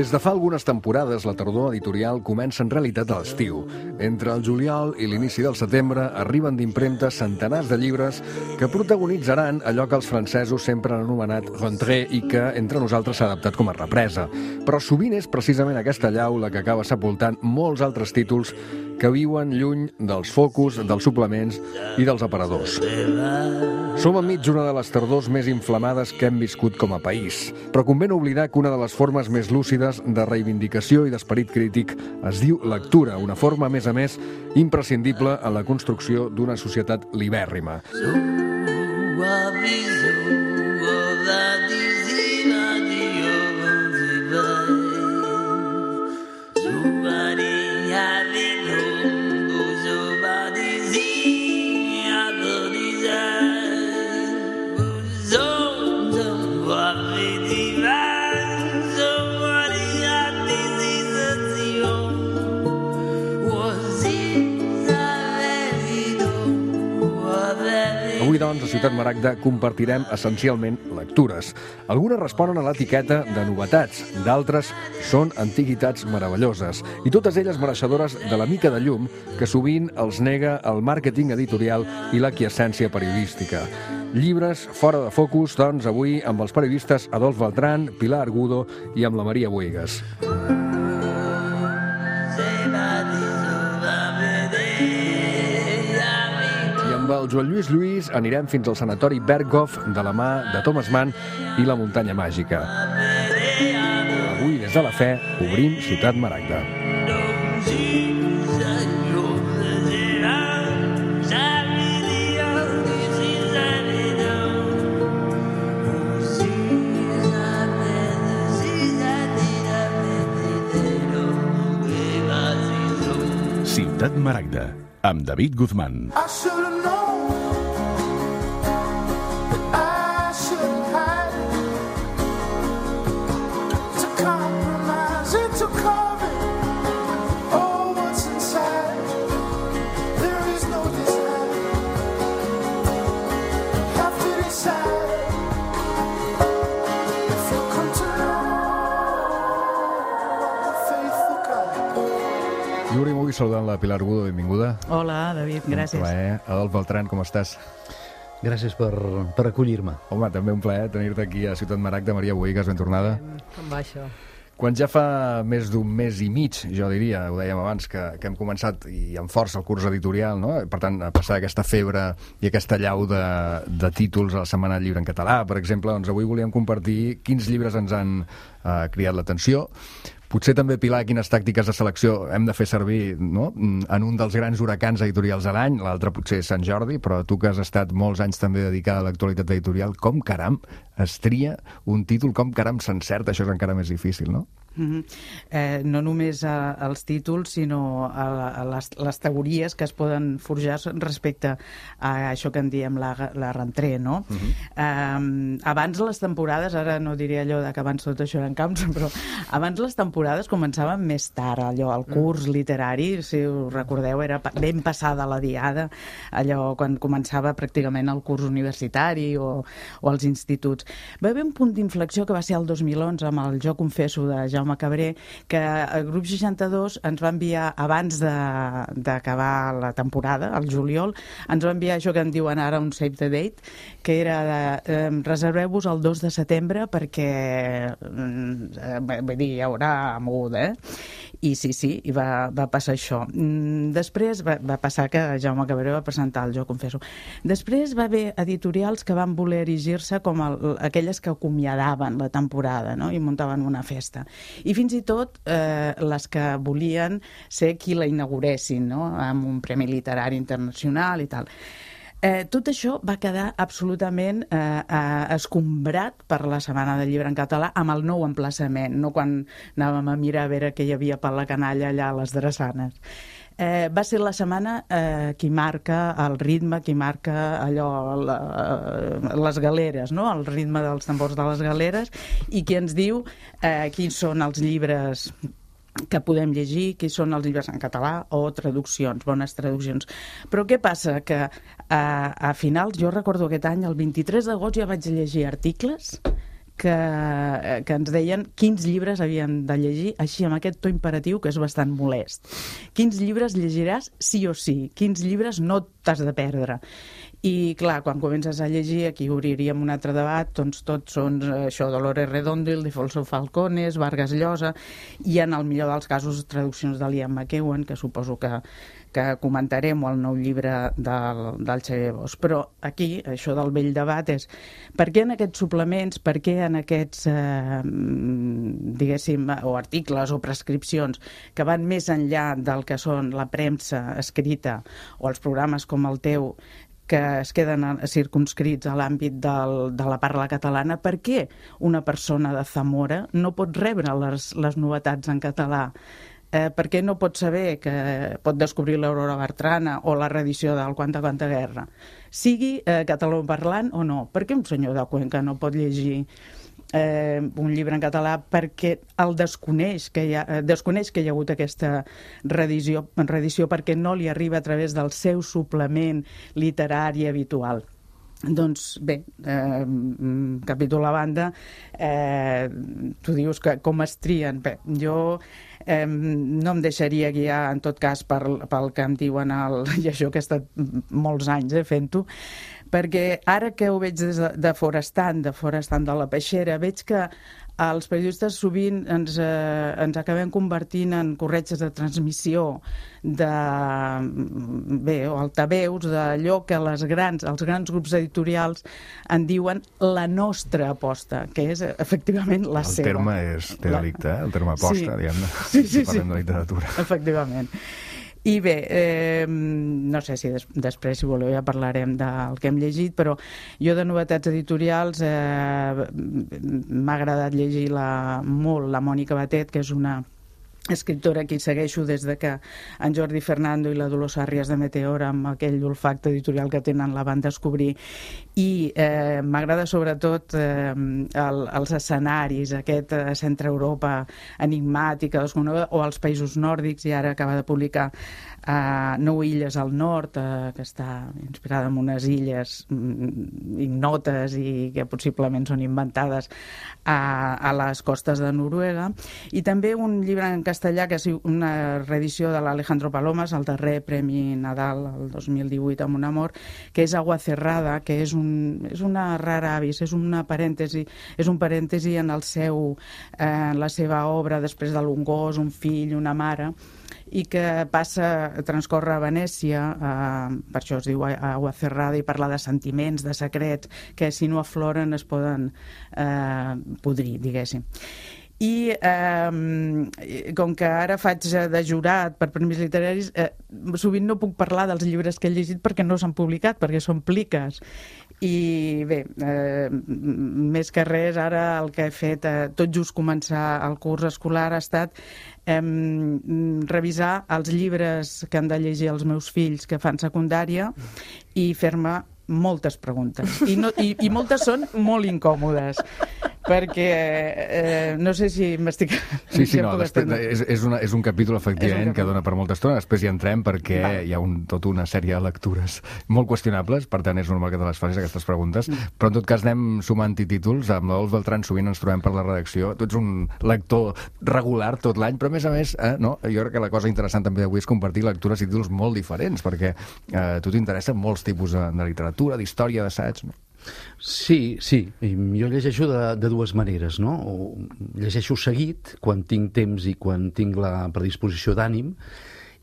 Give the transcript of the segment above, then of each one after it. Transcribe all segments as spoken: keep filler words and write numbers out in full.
Des de fa algunes temporades, la tardor editorial comença en realitat a l'estiu. Entre el juliol i l'inici del setembre arriben d'impremtes centenars de llibres que protagonitzaran allò que els francesos sempre han anomenat rentrée i que entre nosaltres s'ha adaptat com a represa. Però sovint és precisament aquesta allau la que acaba sepultant molts altres títols que viuen lluny dels focus, dels suplements i dels aparadors. Som enmig d'una de les tardors més inflamades que hem viscut com a país, però convé no oblidar que una de les formes més lúcides de reivindicació i d'esperit crític es diu lectura, una forma, a més a més, imprescindible en la construcció d'una societat libèrrima. Avui, doncs, a Ciutat Maragda compartirem essencialment lectures. Algunes responen a l'etiqueta de novetats, d'altres són antiguitats meravelloses, i totes elles mereixedores de la mica de llum que sovint els nega el màrqueting editorial i l'aquiescència periodística. Llibres fora de focus, doncs, avui amb els periodistes Adolf Beltrán, Pilar Argudo i amb la Maria Bohigas. Amb el Joan Lluís Lluís anirem fins al sanatori Berghof de la mà de Thomas Mann i la muntanya màgica. Avui, des de la fe, obrim Ciutat Maragda. Ciutat Maragda, amb David Guzmán. Saludant la Pilar Argudo, benvinguda. Hola, David, gràcies. Un plaer. Adolf Beltrán, com estàs? Gràcies per, per acollir-me. Home, també un plaer tenir-te aquí a Ciutat Maragda. Maria Bohigas, ben tornada. Com va això? Quan ja fa més d'un mes i mig, jo diria, ho dèiem abans, que, que hem començat i amb força el curs editorial, no? Per tant, a passar aquesta febre i aquesta llau de, de títols a la Setmana del Llibre en català, per exemple, doncs avui volíem compartir quins llibres ens han eh, cridat l'atenció. Potser també, Pilar, quines tàctiques de selecció hem de fer servir, no?, en un dels grans huracans editorials de l'any, l'altre potser és Sant Jordi, però tu que has estat molts anys també dedicada a l'actualitat editorial, com caram es tria un títol, com caram s'encerta, això és encara més difícil, no? Mm-hmm. eh, no només a, als títols, sinó a, la, a les, les teories que es poden forjar respecte a això que en diem la, la rentrée, no? Mm-hmm. eh, abans les temporades, ara no diré allò de que abans tot això eren camps, però abans les temporades començaven més tard, allò, el curs literari, si us recordeu, era ben passada la diada, allò quan començava pràcticament el curs universitari o, o els instituts. Va haver un punt d'inflexió que va ser el dos mil onze amb el Jo confesso de Jaume Cabré, que el grup seixanta-dos ens va enviar, abans d'acabar la temporada, al juliol, ens va enviar això que en diuen ara un save the date, que era de eh, reserveu-vos el dos de setembre perquè eh, vull dir, hi haurà moguda, eh? I sí, sí, i va, va passar això. Després va, va passar que Jaume Cabré va presentar el Jo confesso. Després va haver editorials que van voler erigir-se com el, aquelles que acomiadaven la temporada, no?, i muntaven una festa. I fins i tot eh, les que volien ser qui la inauguressin, no?, amb un premi literari internacional i tal. Eh, tot això va quedar absolutament eh, eh, escombrat per la Setmana del Llibre en català amb el nou emplaçament, no quan anàvem a mirar a veure què hi havia per la canalla allà a les drassanes. Eh, va ser la setmana eh, qui marca el ritme, qui marca allò, la, les galeres, no?, el ritme dels tambors de les galeres, i qui ens diu eh, quins són els llibres que podem llegir, que són els llibres en català o traduccions, bones traduccions. Però què passa? Que a, a finals, jo recordo aquest any, el vint-i-tres d'agost ja vaig llegir articles que, que ens deien quins llibres havien de llegir, així amb aquest to imperatiu que és bastant molest. Quins llibres llegiràs sí o sí, quins llibres no t'has de perdre. I, clar, quan comences a llegir, aquí obriríem un altre debat, doncs tots són això, Dolores Redondo, Ildefonso Falcones, Vargas Llosa, i en el millor dels casos traduccions de Liam McEwan, que suposo que, que comentarem, o el nou llibre del, del Xavier Bosch. Però aquí, això del vell debat és per què en aquests suplements, per què en aquests, eh, diguéssim, o articles o prescripcions que van més enllà del que són la premsa escrita o els programes com el teu, que es queden circumscrits a l'àmbit del, de la parla catalana, per què una persona de Zamora no pot rebre les, les novetats en català? Eh, per què no pot saber que pot descobrir l'Aurora Bertrana o la reedició del Quanta Quanta Guerra? Sigui eh, catalanoparlant o no. Per què un senyor de Cuenca no pot llegir Eh, un llibre en català perquè el desconeix que, hi ha, eh, desconeix que hi ha hagut aquesta reedició, reedició perquè no li arriba a través del seu suplement literari habitual. Doncs bé, eh, capítol a banda, eh, tu dius que com es trien. Bé, jo eh, no em deixaria guiar, en tot cas, per, pel que em diuen, el, i això que he estat molts anys eh, fent-ho, perquè ara que ho veig des de, de forestant, de forestant de la peixera, veig que els periodistes sovint ens, eh, ens acabem convertint en corretges de transmissió de, bé, o altaveus, d'allò que les grans, els grans grups editorials en diuen la nostra aposta, que és efectivament la el seva. El terme és, té delicte, eh? El terme aposta, sí. diguem-ne, sí, sí, si parlem sí. de literatura. Efectivament. I bé, eh, no sé si des, després, si voleu, ja parlarem del que hem llegit, però jo de novetats editorials eh, m'ha agradat llegir la, molt la Mònica Batet, que és una escriptora que hi segueixo des de que en Jordi Fernando i la Dolors Àrries de Meteora, amb aquell olfacte editorial que tenen, la van descobrir. I eh, m'agrada sobretot eh, el, els escenaris, aquest eh, centre Europa enigmàtic, o els països nòrdics, i ara acaba de publicar eh, Nou illes al nord, eh, que està inspirada en unes illes mm, ignotes i que possiblement són inventades a, a les costes de Noruega. I també un llibre en castellà, que és una reedició de l'Alejandro Palomas, el darrer Premi Nadal el dos mil divuit amb un amor, que és Agua Cerrada, que és, un, és una rara avis, és una parèntesi, és un parèntesi en el seu, eh, la seva obra després de l'un gos, un fill, una mare, i que passa, transcorre a Venècia, eh, per això es diu Agua Cerrada, i parla de sentiments, de secrets, que si no afloren es poden eh, podrir, diguéssim. I eh, com que ara faig de jurat per premis literaris, eh, sovint no puc parlar dels llibres que he llegit perquè no s'han publicat, perquè són pliques. I bé, eh, més que res, ara el que he fet, eh, tot just començar el curs escolar, ha estat eh, revisar els llibres que han de llegir els meus fills que fan secundària i fer-me moltes preguntes. I, no, i, i moltes són molt incòmodes, perquè eh, no sé si m'estic... Sí, sí, no, després, és, és, una, és un capítol, efectivament, un que dona per molta estona. Després hi entrem perquè Va. hi ha un, tota una sèrie de lectures molt qüestionables, per tant és normal que te les facis, aquestes preguntes, mm. però en tot cas anem sumant títols. Amb la Dols Beltrán sovint ens trobem per la redacció. Tu ets un lector regular tot l'any, però a més a més, eh, no, jo crec que la cosa interessant també d'avui és compartir lectures i títols molt diferents, perquè eh, a tu t'interessen molts tipus de, de literatura, d'història, d'assaig, no? Sí, sí. Jo llegeixo de, de dues maneres, no? O llegeixo seguit, quan tinc temps i quan tinc la predisposició d'ànim,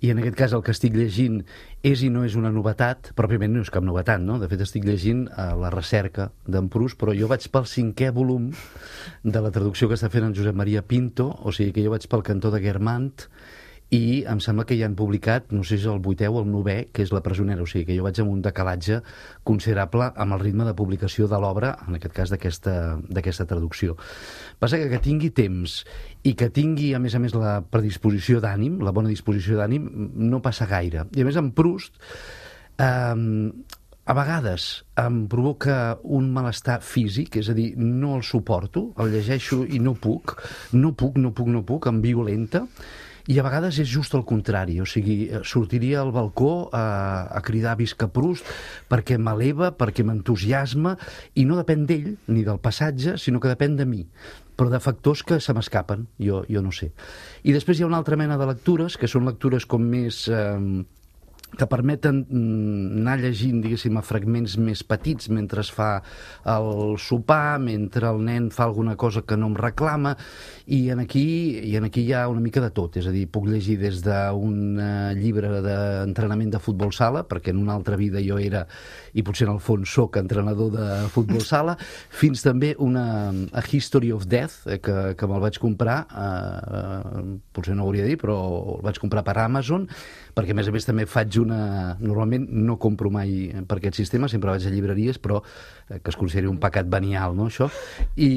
i en aquest cas el que estic llegint és i no és una novetat, pròpiament no és cap novetat, no? De fet, estic llegint uh, La recerca d'en Proust, però jo vaig pel cinquè volum de la traducció que està fent en Josep Maria Pinto, o sigui que jo vaig pel cantó de Guermantes, i em sembla que ja han publicat, no sé si és el vuitè o el novè, que és La presonera, o sigui que jo vaig amb un decalatge considerable amb el ritme de publicació de l'obra, en aquest cas d'aquesta traducció. Passa que que tingui temps i que tingui, a més a més, la predisposició d'ànim, la bona disposició d'ànim, no passa gaire. I a més, en Proust, eh, a vegades em provoca un malestar físic, és a dir, no el suporto, el llegeixo i no puc, no puc, no puc, no puc, em violenta. I a vegades és just el contrari, o sigui, sortiria al balcó a, a cridar visca Proust perquè m'eleva, perquè m'entusiasma, i no depèn d'ell ni del passatge, sinó que depèn de mi, però de factors que se m'escapen, jo, jo no sé. I després hi ha una altra mena de lectures, que són lectures com més... Eh, que permeten anar llegint, diguéssim, a fragments més petits mentre es fa el sopar, mentre el nen fa alguna cosa que no em reclama, i en aquí, i en aquí hi ha una mica de tot. És a dir, puc llegir des d'un uh, llibre d'entrenament de futbol sala, perquè en una altra vida jo era, i potser en el fons soc entrenador de futbol sala, fins també una A History of Death, eh, que, que me'l vaig comprar, eh, potser no ho hauria de dir, però el vaig comprar per Amazon, perquè a més a més també faig una... Normalment no compro mai per aquest sistema, sempre vaig a llibreries, però eh, que es consideri un pecat venial, no, això? I,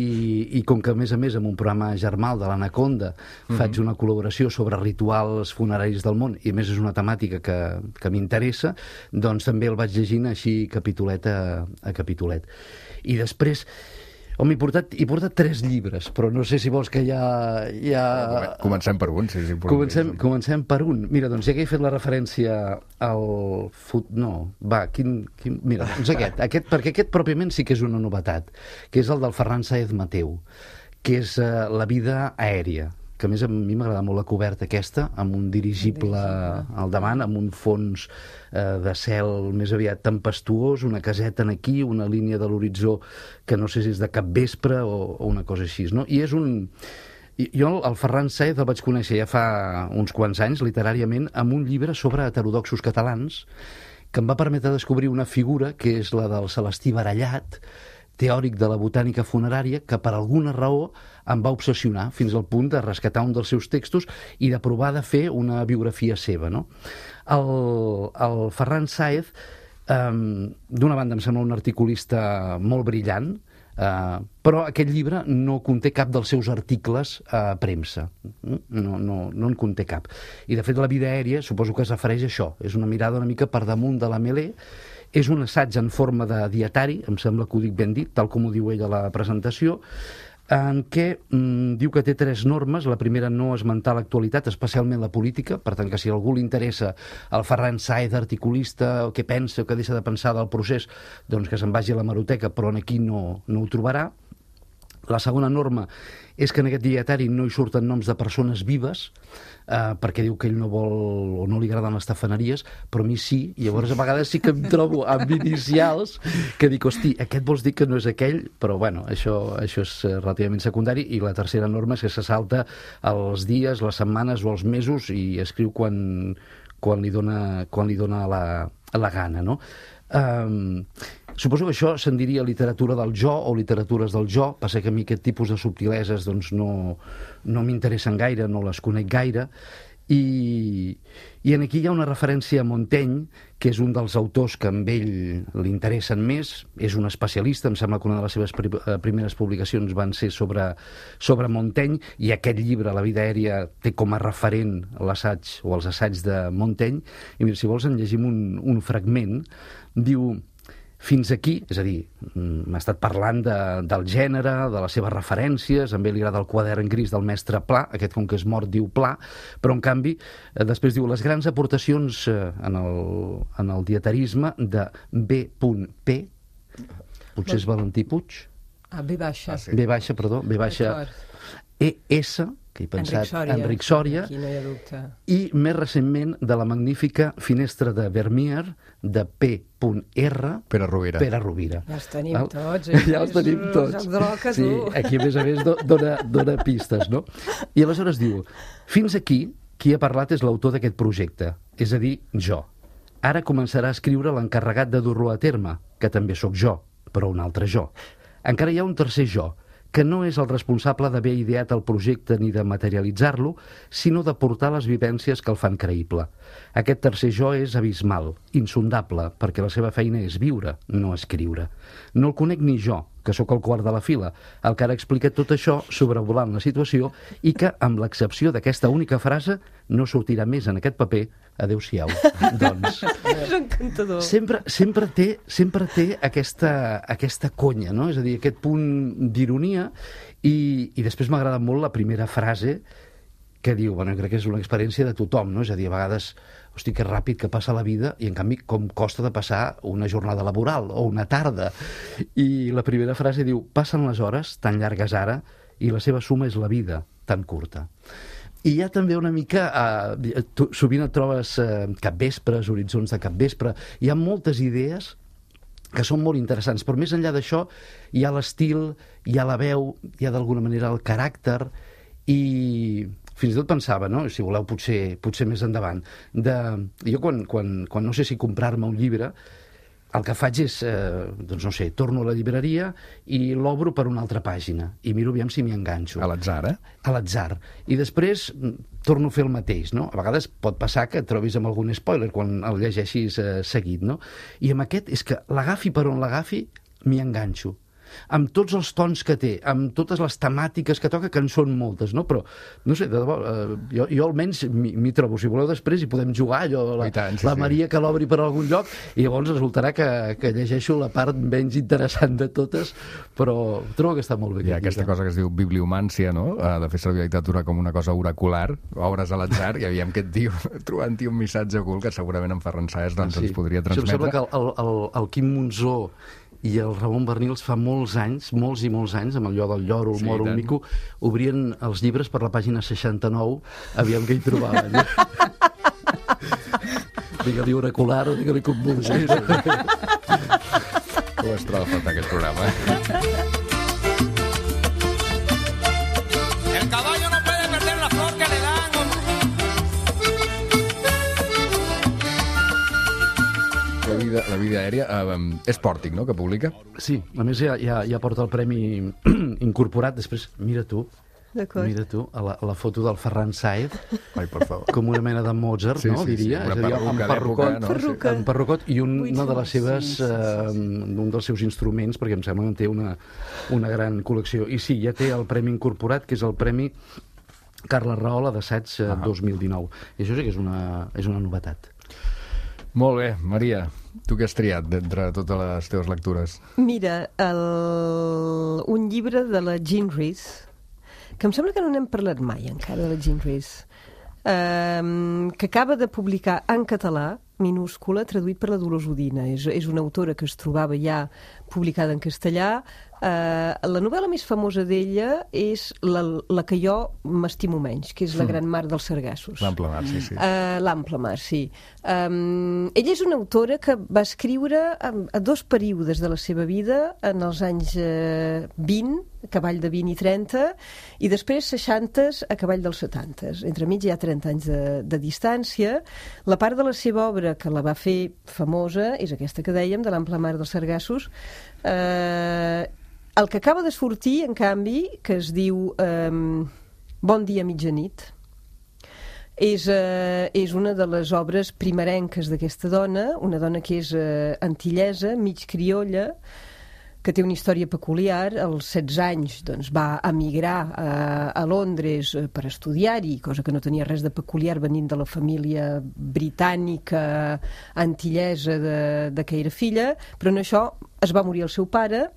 i com que a més a més amb un programa germal de l'Anaconda mm-hmm. faig una col·laboració sobre rituals funeraris del món, i a més és una temàtica que, que m'interessa, doncs també el vaig llegint així capitolet a, a capitolet. I després... Home, he portat, he portat tres llibres, però no sé si vols que ja... ja... Comencem per un, sí, sí. Comencem, comencem per un. Mira, doncs ja que he fet la referència al... Fut... No, va, quin... quin... Mira, doncs aquest, aquest, perquè aquest pròpiament sí que és una novetat, que és el del Ferran Sáez Mateu, que és uh, La vida aèria, que a més a mi m'agrada molt la coberta aquesta, amb un dirigible al davant, amb un fons eh, de cel més aviat tempestuós, una caseta aquí, una línia de l'horitzó que no sé si és de capvespre o, o una cosa així, no? I és un... Jo el Ferran Sáez el vaig conèixer ja fa uns quants anys, literàriament, amb un llibre sobre heterodoxos catalans, que em va permetre descobrir una figura, que és la del Celestí Barallat, teòric de la botànica funerària, que per alguna raó em va obsessionar fins al punt de rescatar un dels seus textos i de provar de fer una biografia seva, no? El, el Ferran Sáez, eh, d'una banda em sembla un articulista molt brillant, eh, però aquest llibre no conté cap dels seus articles a premsa. No, no, no en conté cap. I de fet La vida aèria suposo que es refereix a això. És una mirada una mica per damunt de la mêlée. És un assaig en forma de dietari, em sembla que ho dic ben dit, tal com ho diu ell a la presentació, en què mm, diu que té tres normes. La primera, no esmentar l'actualitat, especialment la política, per tant que si a algú li interessa el Ferran Sáez articulista, o què pensa o què deixa de pensar del procés, doncs que se'n vagi a l'hemeroteca, però aquí no, no ho trobarà. La segona norma és que en aquest dietari no hi surten noms de persones vives, eh, perquè diu que ell no vol o no li agraden les tafaneries, però a mi sí, i llavors a vegades sí que em trobo amb inicials que dic, hosti, aquest vols dir que no és aquell? Però bueno, això, això és relativament secundari. I la tercera norma és que se salta els dies, les setmanes o els mesos i escriu quan, quan li dona, quan li dona la, la gana, no? Um, suposo que això se'n diria literatura del jo o literatures del jo. Passa que a mi aquest tipus de subtileses doncs no, no m'interessen gaire, no les conec gaire, i, i en aquí hi ha una referència a Montaigne, que és un dels autors que amb ell li interessen més. És un especialista, em sembla que una de les seves pri primeres publicacions van ser sobre, sobre Montaigne, i aquest llibre, La vida aèria, té com a referent l'assaig o els assaigs de Montaigne. I mira, si vols en llegim un, un fragment. Diu: fins aquí, és a dir, m'ha estat parlant de, del gènere, de les seves referències, a ell li agrada el quadern gris del mestre Pla, aquest com que és mort diu Pla, però en canvi eh, després diu les grans aportacions eh, en, el, en el dietarisme de B P, potser és Valentí Puig, ah, B baixa, ah, sí. B baixa, perdó, B baixa, E S, que he pensat, Enric Sòria, Enric Sòria, aquí no hi ha dubte, i més recentment de la magnífica Finestra de Vermeer, de P R, Pere Rovira. Pere Rovira. Ja els tenim Val? tots. Eh? Ja els tenim tots. Droques, sí, aquí a més a més dona, dona pistes, no? I aleshores diu: fins aquí, qui ha parlat és l'autor d'aquest projecte, és a dir, jo. Ara començarà a escriure l'encarregat de dur-lo a terme, que també sóc jo, però un altre jo. Encara hi ha un tercer jo, que no és el responsable d'haver ideat el projecte ni de materialitzar-lo, sinó de portar les vivències que el fan creïble. Aquest tercer jo és abismal, insondable, perquè la seva feina és viure, no escriure. No el conec ni jo, que sóc el quart de la fila, el que ara explica tot això sobrevolant la situació i que, amb l'excepció d'aquesta única frase, no sortirà més en aquest paper. Adéu-siau. Doncs... és encantador. Sempre, sempre, té, sempre té aquesta, aquesta conya, no? És a dir, aquest punt d'ironia, i, i després m'agrada molt la primera frase, que diu, bueno, crec que és una experiència de tothom, no? És a dir, a vegades, hosti, que ràpid que passa la vida i, en canvi, com costa de passar una jornada laboral o una tarda. I la primera frase diu, passen les hores tan llargues ara i la seva suma és la vida tan curta. I hi ha també una mica, eh, tu, sovint et trobes eh, capvespres, horitzons de capvespre, hi ha moltes idees que són molt interessants, però més enllà d'això hi ha l'estil, hi ha la veu, hi ha d'alguna manera el caràcter, i fins i tot pensava, no? Si voleu potser, potser més endavant, de... jo quan, quan, quan no sé si comprar-me un llibre, el que faig és, eh, doncs no sé, torno a la llibreria i l'obro per una altra pàgina i miro aviam si m'hi enganxo. A l'atzar, eh? A l'atzar. I després torno a fer el mateix, no? A vegades pot passar que et trobis amb algun spoiler quan el llegeixis eh, seguit, no? I amb aquest és que l'agafi per on l'agafi, m'hi enganxo. Amb tots els tons que té, amb totes les temàtiques que toca, que en són moltes, no? Però, no sé, de debò, eh, jo, jo almenys m'hi trobo. Si voleu després hi podem jugar, allò, la, tant, sí, la Maria sí. que l'obri per algun lloc, i llavors resultarà que, que llegeixo la part menys interessant de totes, però trobo que està molt bé. Hi ha aquesta cosa que es diu bibliomància, no? De fer servir la literatura com una cosa oracular, obres a l'atzar, i aviam que et diu, trobant-hi un missatge ocult que segurament en Ferran Saez doncs, ah, sí. ens podria transmetre. Em sembla que el, el, el Quim Monzó i el Ramon Bernils fa molts anys, molts i molts anys, amb allò del lloro, el sí, moro, el mico, obrien els llibres per la pàgina seixanta-nou, aviam què hi trobaven. Digue-li oracular o digue-li convulsió. Sí, sí. Com es troba a faltar aquest programa? El caballo no puede perder la flor que le dan. La vida, la vida aèria eh, és Pòrtic, no?, que publica? Sí, a més ja, ja, ja porta el premi incorporat. Després, mira tu, mira tu, a la, a la foto del Ferran Saez, ai, per favor, com una mena de Mozart, sí, no, sí, diria? Sí, una és a dir, amb perrucot, no? Perruca. amb perrucot i un, una de les seves, sí, sí, sí, sí. Eh, un dels seus instruments, perquè em sembla que en té una, una gran col·lecció. I sí, ja té el premi incorporat, que és el premi Carles Rahola d'assaig eh, dos mil dinou. I això sí que és una, és una novetat. Molt bé, Maria, tu què has triat d'entre totes les teves lectures? Mira, el... un llibre de la Jean Rhys, que em sembla que no n'hem parlat mai encara, de la Jean Rhys, um, que acaba de publicar en català, minúscula, traduït per la Dolors Udina. És, és una autora que es trobava ja publicada en castellà. Uh, la novel·la més famosa d'ella és la, la que jo m'estimo menys, que és La gran mar dels sargassos. L'ample mar, sí, sí. Uh, L'ample mar, sí. Um, ella és una autora que va escriure a, a dos períodes de la seva vida, en els anys uh, vint, a cavall de vint i trenta, i després seixanta a cavall dels setanta. Entre mig hi ha trenta anys de, de distància. La part de la seva obra que la va fer famosa és aquesta que dèiem, de l'ample mar dels sargassos. Eh... Uh, El que acaba de sortir, en canvi, que es diu eh, Bon dia, mitjanit, és, eh, és una de les obres primerenques d'aquesta dona, una dona que és eh, antillesa, mig criolla, que té una història peculiar. Als setze anys doncs, va emigrar a, a Londres per estudiar-hi, cosa que no tenia res de peculiar venint de la família britànica antillesa de, de que era filla, però en això es va morir el seu pare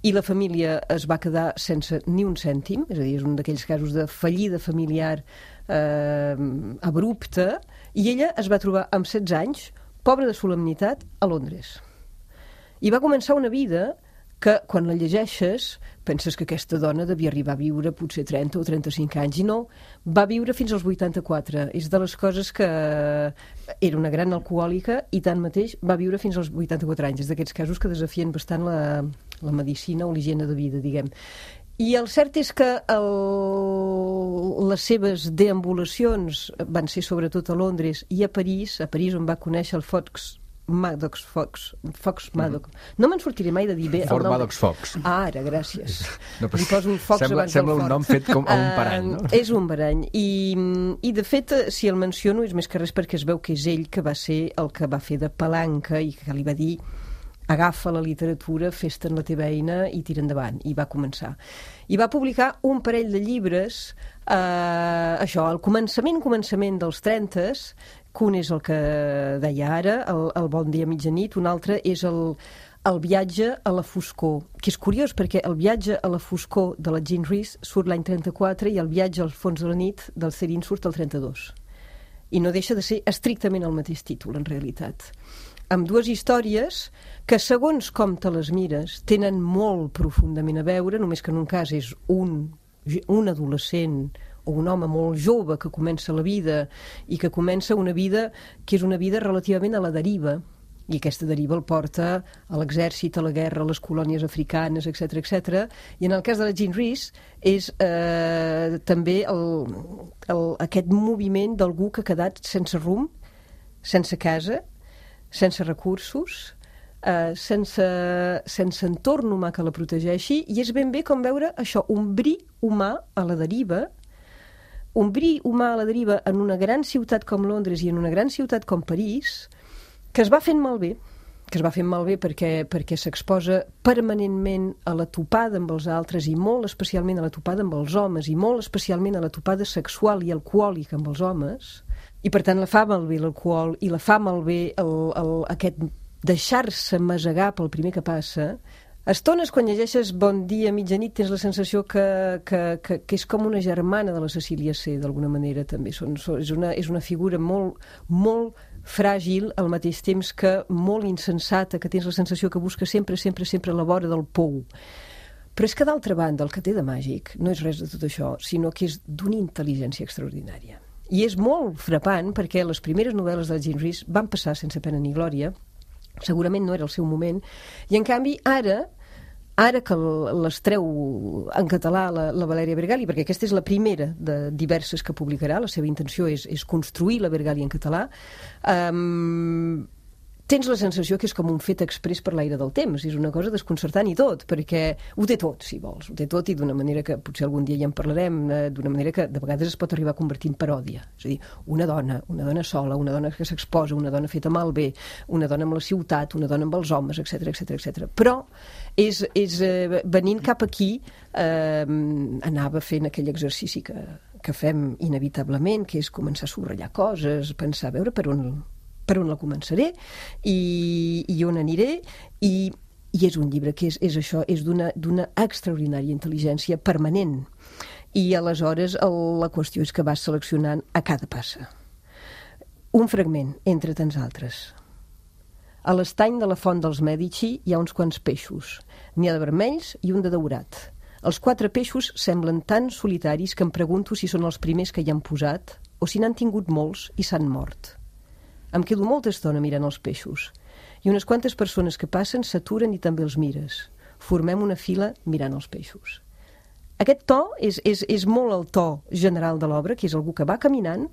i la família es va quedar sense ni un cèntim, és a dir, és un d'aquells casos de fallida familiar eh, abrupta, i ella es va trobar amb setze anys, pobra de solemnitat, a Londres. I va començar una vida que, quan la llegeixes, penses que aquesta dona devia arribar a viure potser trenta o trenta-cinc anys, i no, va viure fins als vuitanta-quatre. És de les coses que era una gran alcohòlica i tanmateix va viure fins als vuitanta-quatre anys. És d'aquests casos que desafien bastant la, la medicina o l'higiene de vida, diguem. I el cert és que el, les seves deambulacions van ser sobretot a Londres i a París, a París on va conèixer el Fox Maddox Fox, Fox Maddox. No me'n sortiré mai de dir bé Fort el nom. Maddox Fox. Ah, ara, gràcies. No, Li poso un Fox sembla, abans sembla del un Fort. nom fet com a un parany, no? Uh, és un parany. I, I, de fet, si el menciono és més que res perquè es veu que és ell que va ser el que va fer de palanca i que li va dir agafa la literatura, fes-te'n la teva eina i tira endavant. I va començar. I va publicar un parell de llibres, eh, això, al començament, començament dels trentes, que un és el que deia ara, el, el Bon dia, mitjanit, un altre és el, El viatge a la foscor, que és curiós perquè el viatge a la foscor de la Jean Rhys surt l'any trenta-quatre i el viatge al fons de la nit del Céline surt el trenta-dos. I no deixa de ser estrictament el mateix títol, en realitat. Amb dues històries que, segons com te les mires, tenen molt profundament a veure, només que en un cas és un, un adolescent o un home molt jove que comença la vida i que comença una vida que és una vida relativament a la deriva, i aquesta deriva el porta a l'exèrcit, a la guerra, a les colònies africanes, etcètera, etcètera. I en el cas de la Jean Rhys és eh, també el, el, aquest moviment d'algú que ha quedat sense rumb, sense casa, sense recursos, eh, sense, sense entorn humà que la protegeixi, i és ben bé com veure això, un bri humà a la deriva, un bri humà a la deriva en una gran ciutat com Londres i en una gran ciutat com París, que es va fent malbé, que es va fent malbé perquè, perquè s'exposa permanentment a la topada amb els altres i molt especialment a la topada amb els homes i molt especialment a la topada sexual i alcohòlica amb els homes, i per tant la fa malbé l'alcohol i la fa malbé el, el, aquest deixar-se masegar pel primer que passa. Estones, quan llegeixes Bon dia, mitjanit, tens la sensació que, que, que, que és com una germana de la Cecília C, d'alguna manera, també. Són, són, és, una, és una figura molt, molt fràgil, al mateix temps que molt insensata, que tens la sensació que busca sempre, sempre, sempre a la vora del pou. Però és que, d'altra banda, el que té de màgic no és res de tot això, sinó que és d'una intel·ligència extraordinària. I és molt frapant perquè les primeres novel·les de Jean Rhys van passar sense pena ni glòria, segurament no era el seu moment, i en canvi ara, ara que les treu en català la, la Valèria Bergali, perquè aquesta és la primera de diverses que publicarà, la seva intenció és, és construir la Bergali en català, um, tens la sensació que és com un fet exprés per l'aire del temps, és una cosa desconcertant i tot, perquè ho té tot, si vols, ho té tot, i d'una manera que potser algun dia ja en parlarem, eh, d'una manera que de vegades es pot arribar a convertir en paròdia. És a dir, una dona, una dona sola, una dona que s'exposa, una dona feta malbé, una dona amb la ciutat, una dona amb els homes, etcètera, etcètera, etcètera. Però és, és eh, venint cap aquí eh, anava fent aquell exercici que, que fem inevitablement, que és començar a subratllar coses, pensar a veure per on per on la començaré i, i on aniré, i, i és un llibre que és, és això, és d'una d'una extraordinària intel·ligència permanent, i aleshores el, la qüestió és que vas seleccionant a cada passa un fragment entre tants altres. A l'estany de la font dels Mèdici hi ha uns quants peixos, n'hi ha de vermells i un de daurat. Els quatre peixos semblen tan solitaris que em pregunto si són els primers que hi han posat o si n'han tingut molts i s'han mort. Em quedo molta estona mirant els peixos i unes quantes persones que passen s'aturen i també els mires. Formem una fila mirant els peixos. Aquest to és, és, és molt el to general de l'obra, que és algú que va caminant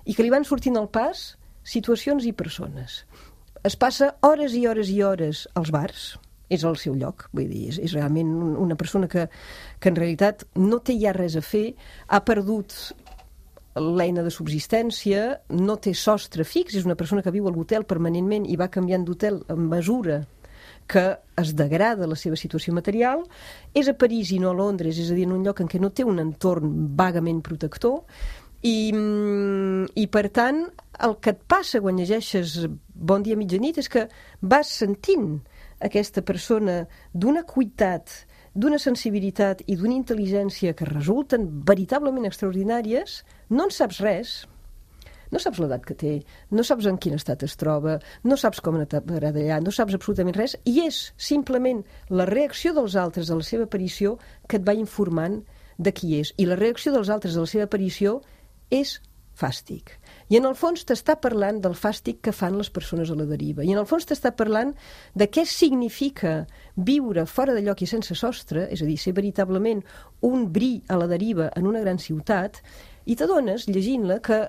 i que li van sortint al pas situacions i persones. Es passa hores i hores i hores als bars, és el seu lloc, vull dir, és, és realment una persona que, que en realitat no té ja res a fer, ha perdut l'eina de subsistència, no té sostre fix, és una persona que viu a l'hotel permanentment i va canviant d'hotel a mesura que es degrada la seva situació material. És a París i no a Londres, és a dir, en un lloc en què no té un entorn vagament protector, i, i per tant el que et passa quan llegeixes Bon dia, mitjanit és que vas sentint aquesta persona d'una cuitat, d'una sensibilitat i d'una intel·ligència que resulten veritablement extraordinàries. No en saps res, no saps l'edat que té, no saps en quin estat es troba, no saps com anar d'allà, no saps absolutament res, i és simplement la reacció dels altres a la seva aparició que et va informant de qui és. I la reacció dels altres a la seva aparició és fàstic. I en el fons t'està parlant del fàstic que fan les persones a la deriva. I en el fons t'està parlant de què significa viure fora de lloc i sense sostre, és a dir, ser veritablement un bri a la deriva en una gran ciutat, i t'adones, llegint-la, que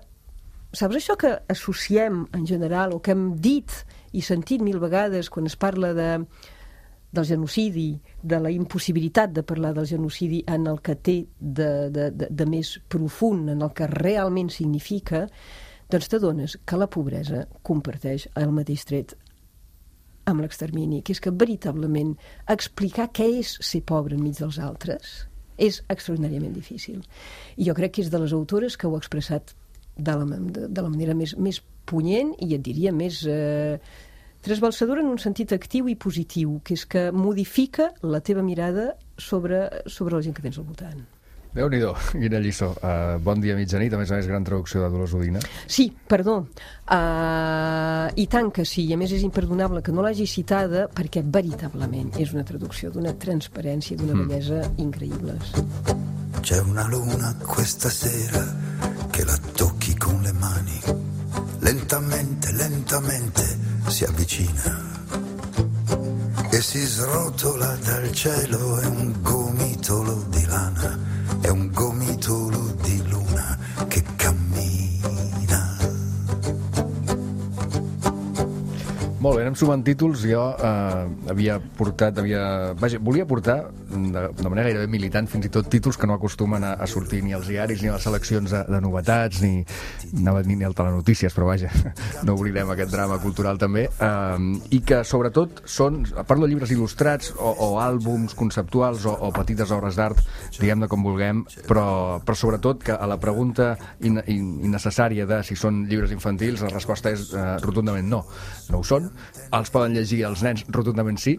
saps això que associem en general, o que hem dit i sentit mil vegades quan es parla de, del genocidi, de la impossibilitat de parlar del genocidi en el que té de, de, de, de més profund, en el que realment significa, doncs t'adones que la pobresa comparteix el mateix tret amb l'extermini, que és que veritablement explicar què és ser pobre enmig dels altres és extraordinàriament difícil. I jo crec que és de les autores que ho ha expressat de la, de, de la manera més, més punyent i et diria més, eh, Trasbalsadora en un sentit actiu i positiu, que és que modifica la teva mirada sobre, sobre la gent que tens al voltant. Déu-n'hi-do, quina lliçó. Uh, bon dia, mitjanit, a més a més, gran traducció de Dolors Udina. Sí, perdó. Uh, I tant que sí, i a més és imperdonable que no l'hagi citada perquè veritablement és una traducció d'una transparència, d'una mm. bellesa increïbles. C'è una luna questa sera che la tocchi con le mani, lentamente, lentamente si avvicina e si srotola dal cielo, è un gomitolo di lana, è un gomitolo di luna che cammina. Molt bé, anem sumant títols. Jo eh, havia portat, havia... Vaja, volia portar, de, de manera gairebé militant, fins i tot títols que no acostumen a, a sortir ni als diaris, ni a les seleccions de, de novetats, ni, ni, ni al telenotícies, però vaja, no oblidem aquest drama cultural també. Eh, I que, sobretot, són, parlo de llibres il·lustrats o, o àlbums conceptuals o, o petites obres d'art, diguem-ne com vulguem, però, però sobretot que a la pregunta in, in, innecessària de si són llibres infantils, la resposta és eh, rotundament no. No ho són. Els poden llegir els nens, rotundament sí,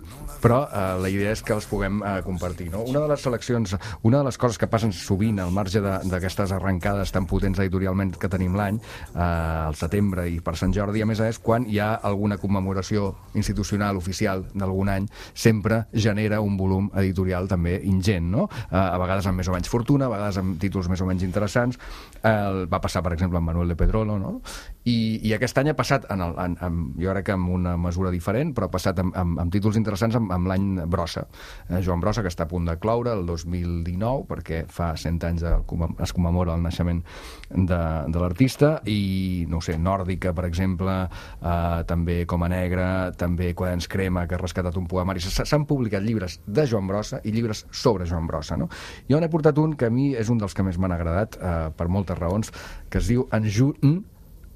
però eh, la idea és que els puguem eh, compartir, no? Una de les seleccions, una de les coses que passen sovint al marge d'aquestes arrencades tan potents editorialment que tenim l'any, eh, al setembre i per Sant Jordi, a més a més, quan hi ha alguna commemoració institucional oficial d'algun any, sempre genera un volum editorial també ingent, no? Eh, a vegades amb més o menys fortuna, a vegades amb títols més o menys interessants. Eh, va passar, per exemple, amb Manuel de Pedrolo, no? I, i aquest any ha passat, en el, en, en, jo crec que amb una mesura diferent, però ha passat amb, amb, amb títols interessants amb, amb l'any Brossa. Eh, Joan Brossa, que està a punt de cloure el dos mil dinou, perquè fa cent anys de, es commemora el naixement de, de l'artista, i, no ho sé, Nòrdica, per exemple, eh, també Coma Negra, també Quaderns Crema, que ha rescatat un poemari. S'han publicat llibres de Joan Brossa i llibres sobre Joan Brossa, no? Jo n'he portat un que a mi és un dels que més m'han agradat, eh, per moltes raons, que es diu En Joan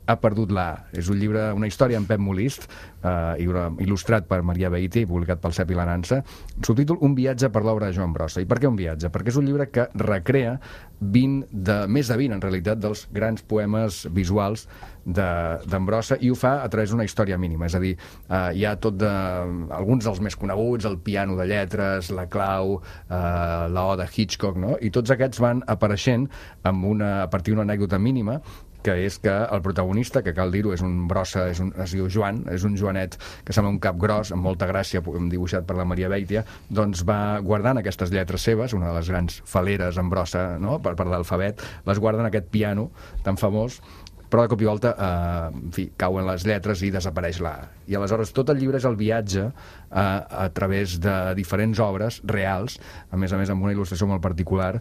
ha perdut la. És un llibre, una història en Pep Molist, eh, il·lustrat per Maria Beiti i publicat pel Cep i la Nansa. Subtítol: Un viatge per l'obra de Joan Brossa. I per què un viatge? Perquè és un llibre que recrea vint de, més de vint, en realitat, dels grans poemes visuals d'en Brossa, i ho fa a través d'una història mínima. És a dir, eh, hi ha tot de... alguns dels més coneguts, el piano de lletres, la clau, eh, la O de Hitchcock, no? I tots aquests van apareixent amb una, a partir d'una anècdota mínima, que és que el protagonista, que cal dir-ho, és un Brossa, és un, es diu Joan, és un Joanet que sembla un cap gros, amb molta gràcia, dibuixat per la Maria Beitia, doncs va guardant aquestes lletres seves, una de les grans faleres en Brossa, no?, per, per l'alfabet, les guarda en aquest piano tan famós, però de cop i volta eh, en fi, cauen les lletres i desapareix la A. I aleshores tot el llibre és el viatge eh, a través de diferents obres reals, a més a més amb una il·lustració molt particular,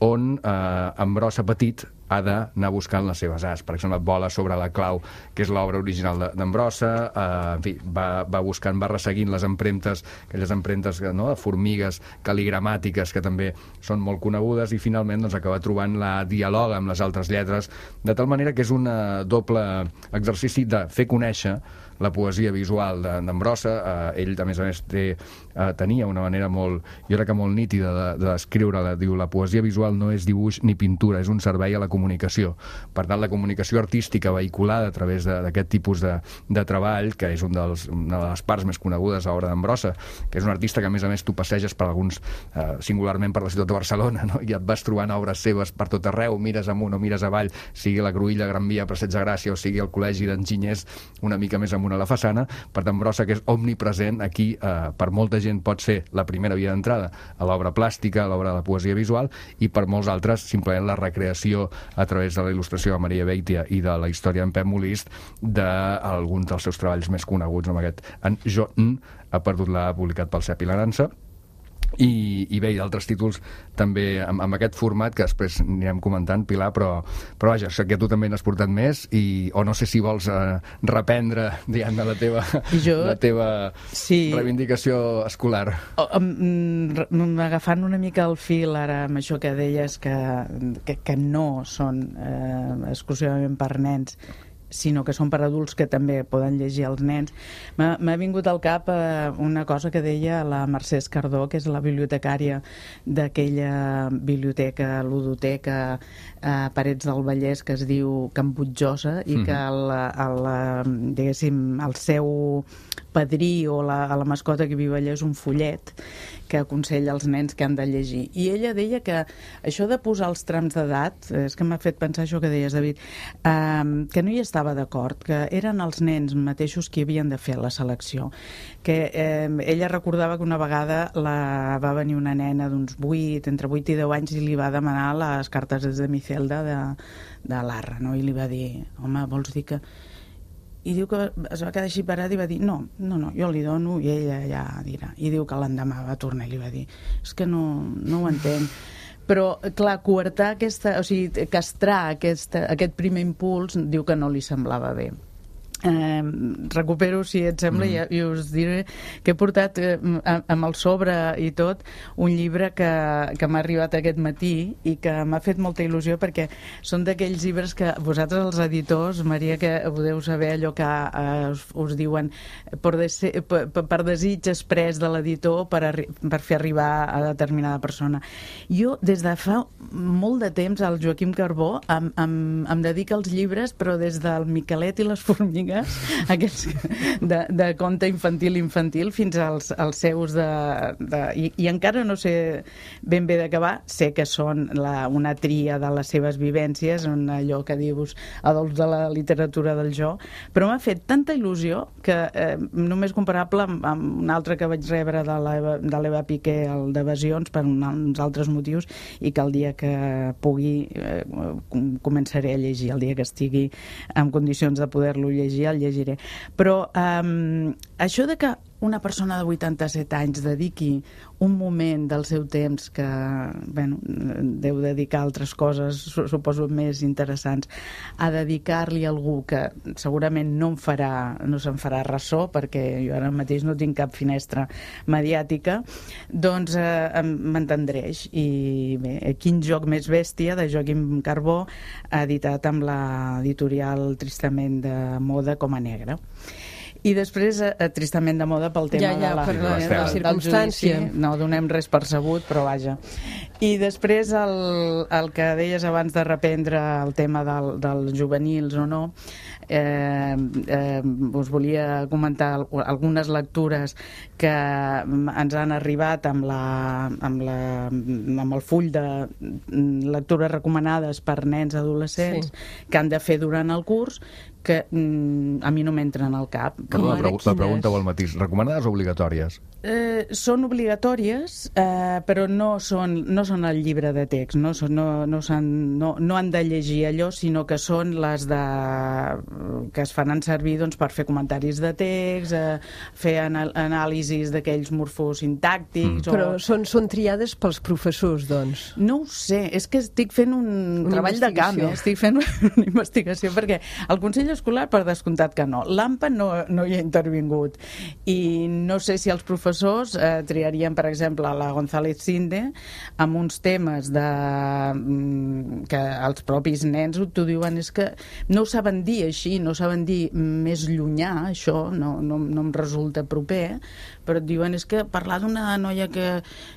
on eh, en Brossa petit ha d'anar buscant les seves as. Per exemple, Vola sobre la clau, que és l'obra original d'en Brossa, eh, en fi, va, va buscant, va resseguint les empremtes, aquelles empremtes, no?, de formigues cal·ligramàtiques, que també són molt conegudes, i finalment doncs, acaba trobant la dialoga amb les altres lletres, de tal manera que és un doble exercici de fer conèixer la poesia visual d'en Brossa. Eh, ell, a més a més, té, eh, tenia una manera molt, jo crec que molt nítida d'escriure-la. Diu, la poesia visual no és dibuix ni pintura, és un servei a la comunicació. Per tant, la comunicació artística vehiculada a través d'aquest tipus de, de treball, que és un dels, una de les parts més conegudes a l'obra d'en Brossa, que és un artista que, a més a més, tu passeges per alguns, eh, singularment per la ciutat de Barcelona, no?, i et vas trobant obres seves per tot arreu, mires amunt o mires avall, sigui la Cruïlla, Gran Via, Passeig de Gràcia, o sigui el Col·legi d'Enginyers, una mica més amunt a la façana. Per tant, Brossa, que és omnipresent aquí, eh, per molta gent pot ser la primera via d'entrada a l'obra plàstica, a l'obra de la poesia visual, i per molts altres simplement la recreació a través de la il·lustració de Maria Beitia i de la història en Pep Molist d'alguns dels seus treballs més coneguts, amb aquest En Joan ha perdut la, publicat pel Cep i la Nansa. I, i bé, i d'altres títols també amb, amb aquest format que després anirem comentant, Pilar, però, però vaja, sé que tu també n'has portat més, i, o no sé si vols eh, reprendre, diguem, la teva, jo, la teva sí. reivindicació escolar. O, um, agafant una mica el fil ara amb això que deies que, que, que no són eh, exclusivament per nens, sinó que són per adults que també poden llegir els nens. M'ha vingut al cap eh, una cosa que deia la Mercè Escardó, que és la bibliotecària d'aquella biblioteca, ludoteca, eh, Parets del Vallès, que es diu Can Butjosa, i mm-hmm. que el, el, diguéssim, el seu padrí o la, la mascota que viu allà és un fullet que aconsella als nens que han de llegir. I ella deia que això de posar els trams d'edat, és que m'ha fet pensar això que deies, David, eh, que no hi estava d'acord, que eren els nens mateixos qui havien de fer la selecció. Que eh, ella recordava que una vegada la, va venir una nena d'uns vuit, entre vuit i deu anys, i li va demanar les cartes de Micelda de, de l'Arra, no? I li va dir, home, vols dir que... I diu que es va quedar així parat i va dir no, no, no, jo li dono i ella ja dirà. I diu que l'endemà va tornar i li va dir és que no, no ho entenc. Però, clar, coartar aquesta... O sigui, castrar aquesta, aquest primer impuls diu que no li semblava bé. Eh, recupero, si et sembla, mm. i, i us diré que he portat eh, amb el sobre i tot un llibre que, que m'ha arribat aquest matí i que m'ha fet molta il·lusió perquè són d'aquells llibres que vosaltres els editors, Maria, que podeu saber allò que eh, us, us diuen per, dese, per, per desig exprés de l'editor per, per fer arribar a determinada persona. Jo, des de fa molt de temps, el Joaquim Carbó em, em, em dedica als llibres, però des del Miquelet i les formigues, aquests de, de conte infantil infantil fins als, als seus de... de i, i encara no sé ben bé d'acabar, sé que són la, una tria de les seves vivències, un allò que dius adults de la literatura del jo, però m'ha fet tanta il·lusió que eh, només comparable amb, amb un altre que vaig rebre de l'Eva Piqué, el d'Evasions, per uns altres motius, i que el dia que pugui eh, començaré a llegir, el dia que estigui en condicions de poder-lo llegir el llegiré. Però um, això de que una persona de vuitanta-set anys dediqui un moment del seu temps que, bueno, deu dedicar a altres coses, suposo més interessants, a dedicar-li a algú que segurament no em farà, no se'n farà ressò, perquè jo ara mateix no tinc cap finestra mediàtica, doncs eh, m'entendreix. I bé, Quin joc més bèstia, de Joaquim Carbó, editat amb l'editorial Tristament de Moda com a negre. I després, eh, tristament de moda pel tema ja, ja, de la, per la, de, la circumstància. Judici. No donem res per sabut, però vaja. I després el, el que deies abans de reprendre el tema del, dels juvenils o no, eh, eh, us volia comentar algunes lectures que ens han arribat amb, la, amb, la, amb el full de lectures recomanades per nens adolescents, sí, que han de fer durant el curs, que mm, a mi no m'entren al cap. Perdó, la, la pregunta o el matís. Recomanades o obligatòries? Eh, són obligatòries, eh, però no són, no són el llibre de text, no, són, no, no, no, no han de llegir allò, sinó que són les de, que es fan servir doncs, per fer comentaris de text, eh, fer anal anàlisis d'aquells morfosintàctics... Mm. O... Però són, són triades pels professors, doncs? No ho sé, és que estic fent un una treball de camp, eh? Estic fent una investigació, perquè el Consell Escolar, per descomptat que no. L'AMPA no, no hi ha intervingut. I no sé si els professors eh, triarien, per exemple, la González Cinde amb uns temes de, mm, que els propis nens t'ho diuen, és que no ho saben dir així, no ho saben dir més llunyà, això no, no, no em resulta proper, però et diuen és que parlar d'una noia que,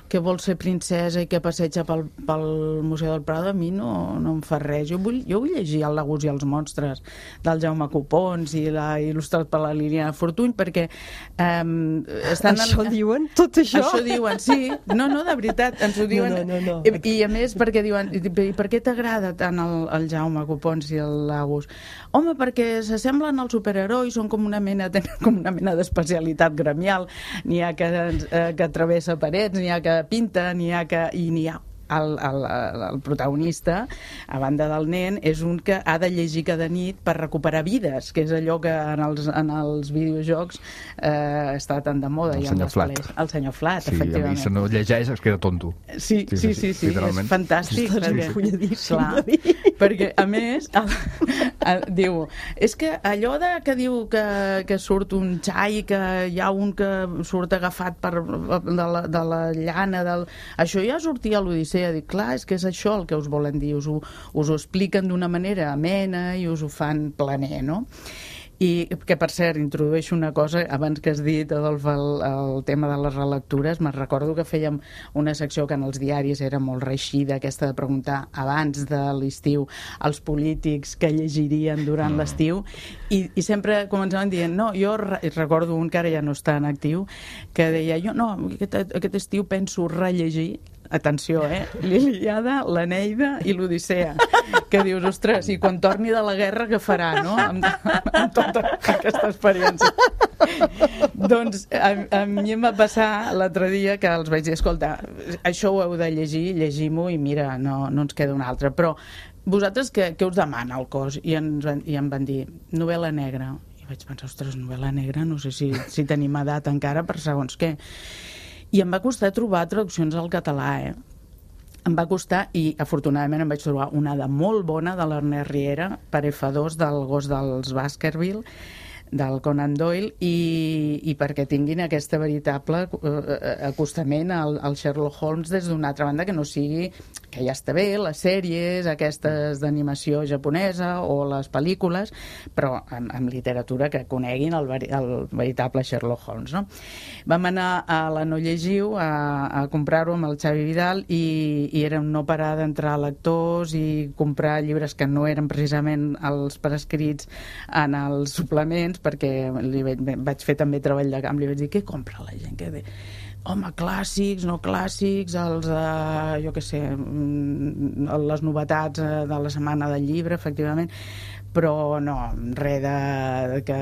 que vol ser princesa i que passeja pel, pel Museu del Prado, a mi no, no em fa res. Jo vull, jo vull llegir El Lagus i els monstres del Jaume Copons i la il·lustrat per la Liliana Fortuny, perquè um, estan... Això en... diuen? Tot això? Això diuen, sí. No, no, de veritat, ens ho diuen. No, no, no, no. I, I a més, perquè diuen, i per què t'agrada tant el, el Jaume Copons i el Lagus? Home, perquè s'assemblen als superherois, són com una mena, tenen com una mena d'especialitat gremial. N'hi ha que, eh, que travessa parets, n'hi ha que pinta, n'hi ha que... i n'hi ha El, el, el protagonista, a banda del nen, és un que ha de llegir cada nit per recuperar vides, que és allò que en els, en els videojocs eh, està tan de moda. El senyor Flat. El senyor Flat, sí, efectivament. Sí, si no llegeix es queda tonto. Sí, sí, sí, sí, sí, sí és fantàstic. Estàs perquè, enfolladíssim, clar, perquè, a més, el, el, diu, és que allò de, que diu que, que surt un xai, que hi ha un que surt agafat per, de, la, de la llana, del... això ja sortia a l'Odissea. Dic, clar, és que és això el que us volen dir, us ho, us ho expliquen d'una manera amena i us ho fan planer, no? I que, per cert, introdueixo una cosa, abans que has dit, Adolf, el, el tema de les relectures, me'n recordo que fèiem una secció que en els diaris era molt reeixida, aquesta de preguntar abans de l'estiu als polítics que llegirien durant mm. l'estiu, i, i sempre començaven dient, no, jo re recordo un que ara ja no està en actiu, que deia, jo no, aquest, aquest estiu penso rellegir, atenció, eh? L'Ilíada, l'Eneida i l'Odissea. Que dius, ostres, i quan torni de la guerra, què farà, no? Amb, amb tota aquesta experiència. Doncs a, a mi em va passar l'altre dia que els vaig dir, escolta, això ho heu de llegir, llegim-ho i mira, no, no ens queda un altre. Però vosaltres què, què us demana el cos? I, ens van, i em van dir, novel·la negra. I vaig pensar, ostres, novel·la negra, no sé si, si tenim edat encara per segons què. I em va costar trobar traduccions al català, eh? Em va costar, i afortunadament em vaig trobar una de molt bona de l'Ernest Riera, per efa dos, del gos dels Baskerville, del Conan Doyle, i, i perquè tinguin aquesta veritable eh, acostament al, al Sherlock Holmes des d'una altra banda, que no sigui, que ja està bé, les sèries aquestes d'animació japonesa o les pel·lícules, però amb, amb literatura que coneguin el, el veritable Sherlock Holmes, no? Vam anar a la No Llegiu a, a comprar-ho amb el Xavi Vidal i, i era un no parar d'entrar lectors i comprar llibres que no eren precisament els prescrits en els suplements, perquè li vaig, vaig fer també treball de camp, li vaig dir, què compra la gent? Què de... Home, clàssics, no clàssics, els, eh, jo què sé, les novetats de la setmana del llibre, efectivament, però no, res de, que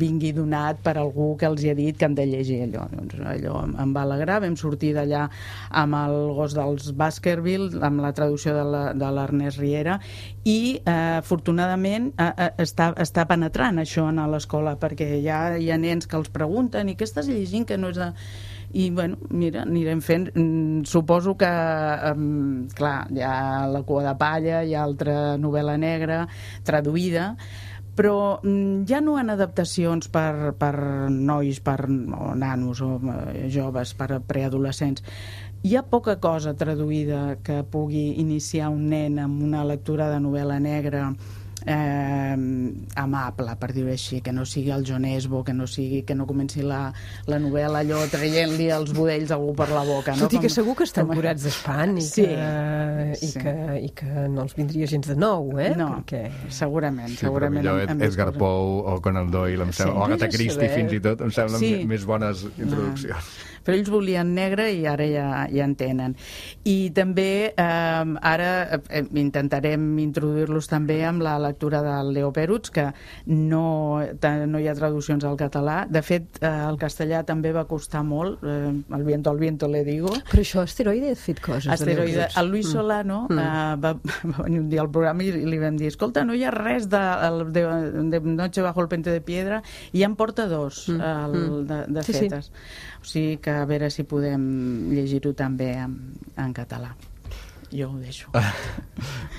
vingui donat per algú que els hi ha dit que han de llegir allò. Doncs allò em va alegrar, vam sortir d'allà amb el gos dels Baskerville, amb la traducció de l'Ernest Riera, i eh, afortunadament eh, està, està penetrant això a l'escola, perquè ja hi ha nens que els pregunten, i què estàs llegint que no és de... I, bueno, mira, anirem fent. Mm, suposo que, um, clar, hi ha La cua de palla, hi ha altra novel·la negra traduïda, però mm, ja no en adaptacions per, per nois, per o nanos o eh, joves, per preadolescents. Hi ha poca cosa traduïda que pugui iniciar un nen amb una lectura de novel·la negra eh, amable, per dir-ho així, que no sigui el John Esbo, que no sigui, que no comenci la, la novel·la allò traient-li els budells a algú per la boca, no? Tot i que segur que estan curats d'espant i, sí, que, i, sí. que, i que no els vindria gens de nou, eh? No, perquè... segurament, sí, segurament. Però millor Edgar Poe o Conan Doyle, em sembla, sí, o Agatha Christie fins i tot, em semblen sí. més bones introduccions. Ah. Però ells volien negre i ara ja, ja en tenen. I també eh, ara eh, intentarem introduir-los també amb la lectura del Leo Peruts, que no, no hi ha traduccions al català. De fet, eh, el castellà també va costar molt, eh, el viento al viento le digo. Però això, Asteroide ha fet coses. Asteroide. El Luis Solano mm. eh, va, va venir un dia al programa i li vam dir, escolta, no hi ha res de, de, de Noche bajo el puente de piedra, i ja en porta dos mm. el, de, de sí, fetes. Sí. O sigui que a veure si podem llegir-ho també en, en català. Jo ho deixo. Ah,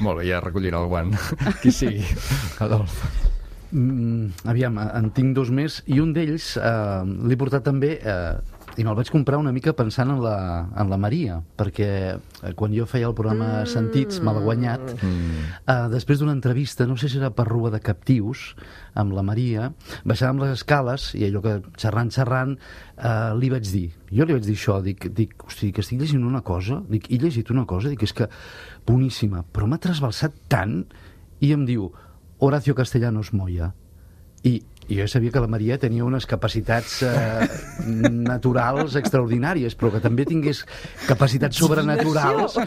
molt bé, ja recollirà el guant. Qui sigui. Adolf. Mm, aviam, en tinc dos més, i un d'ells eh, l'he portat també... Eh, i me'l vaig comprar una mica pensant en la, en la Maria, perquè eh, quan jo feia el programa mm. Sentits me l'ha guanyat. Mm. Eh, després d'una entrevista, no sé si era per Rua de Captius, amb la Maria, baixàvem les escales i allò que xerrant, xerrant, eh, li vaig dir, jo li vaig dir això, dic, dic, hosti, que estic llegint una cosa, dic, he llegit una cosa, dic, és que boníssima, però m'ha trasbalsat tant, i em diu, Horacio Castellanos Moya. I I jo sabia que la Maria tenia unes capacitats eh, naturals extraordinàries, però que també tingués capacitats sobrenaturals.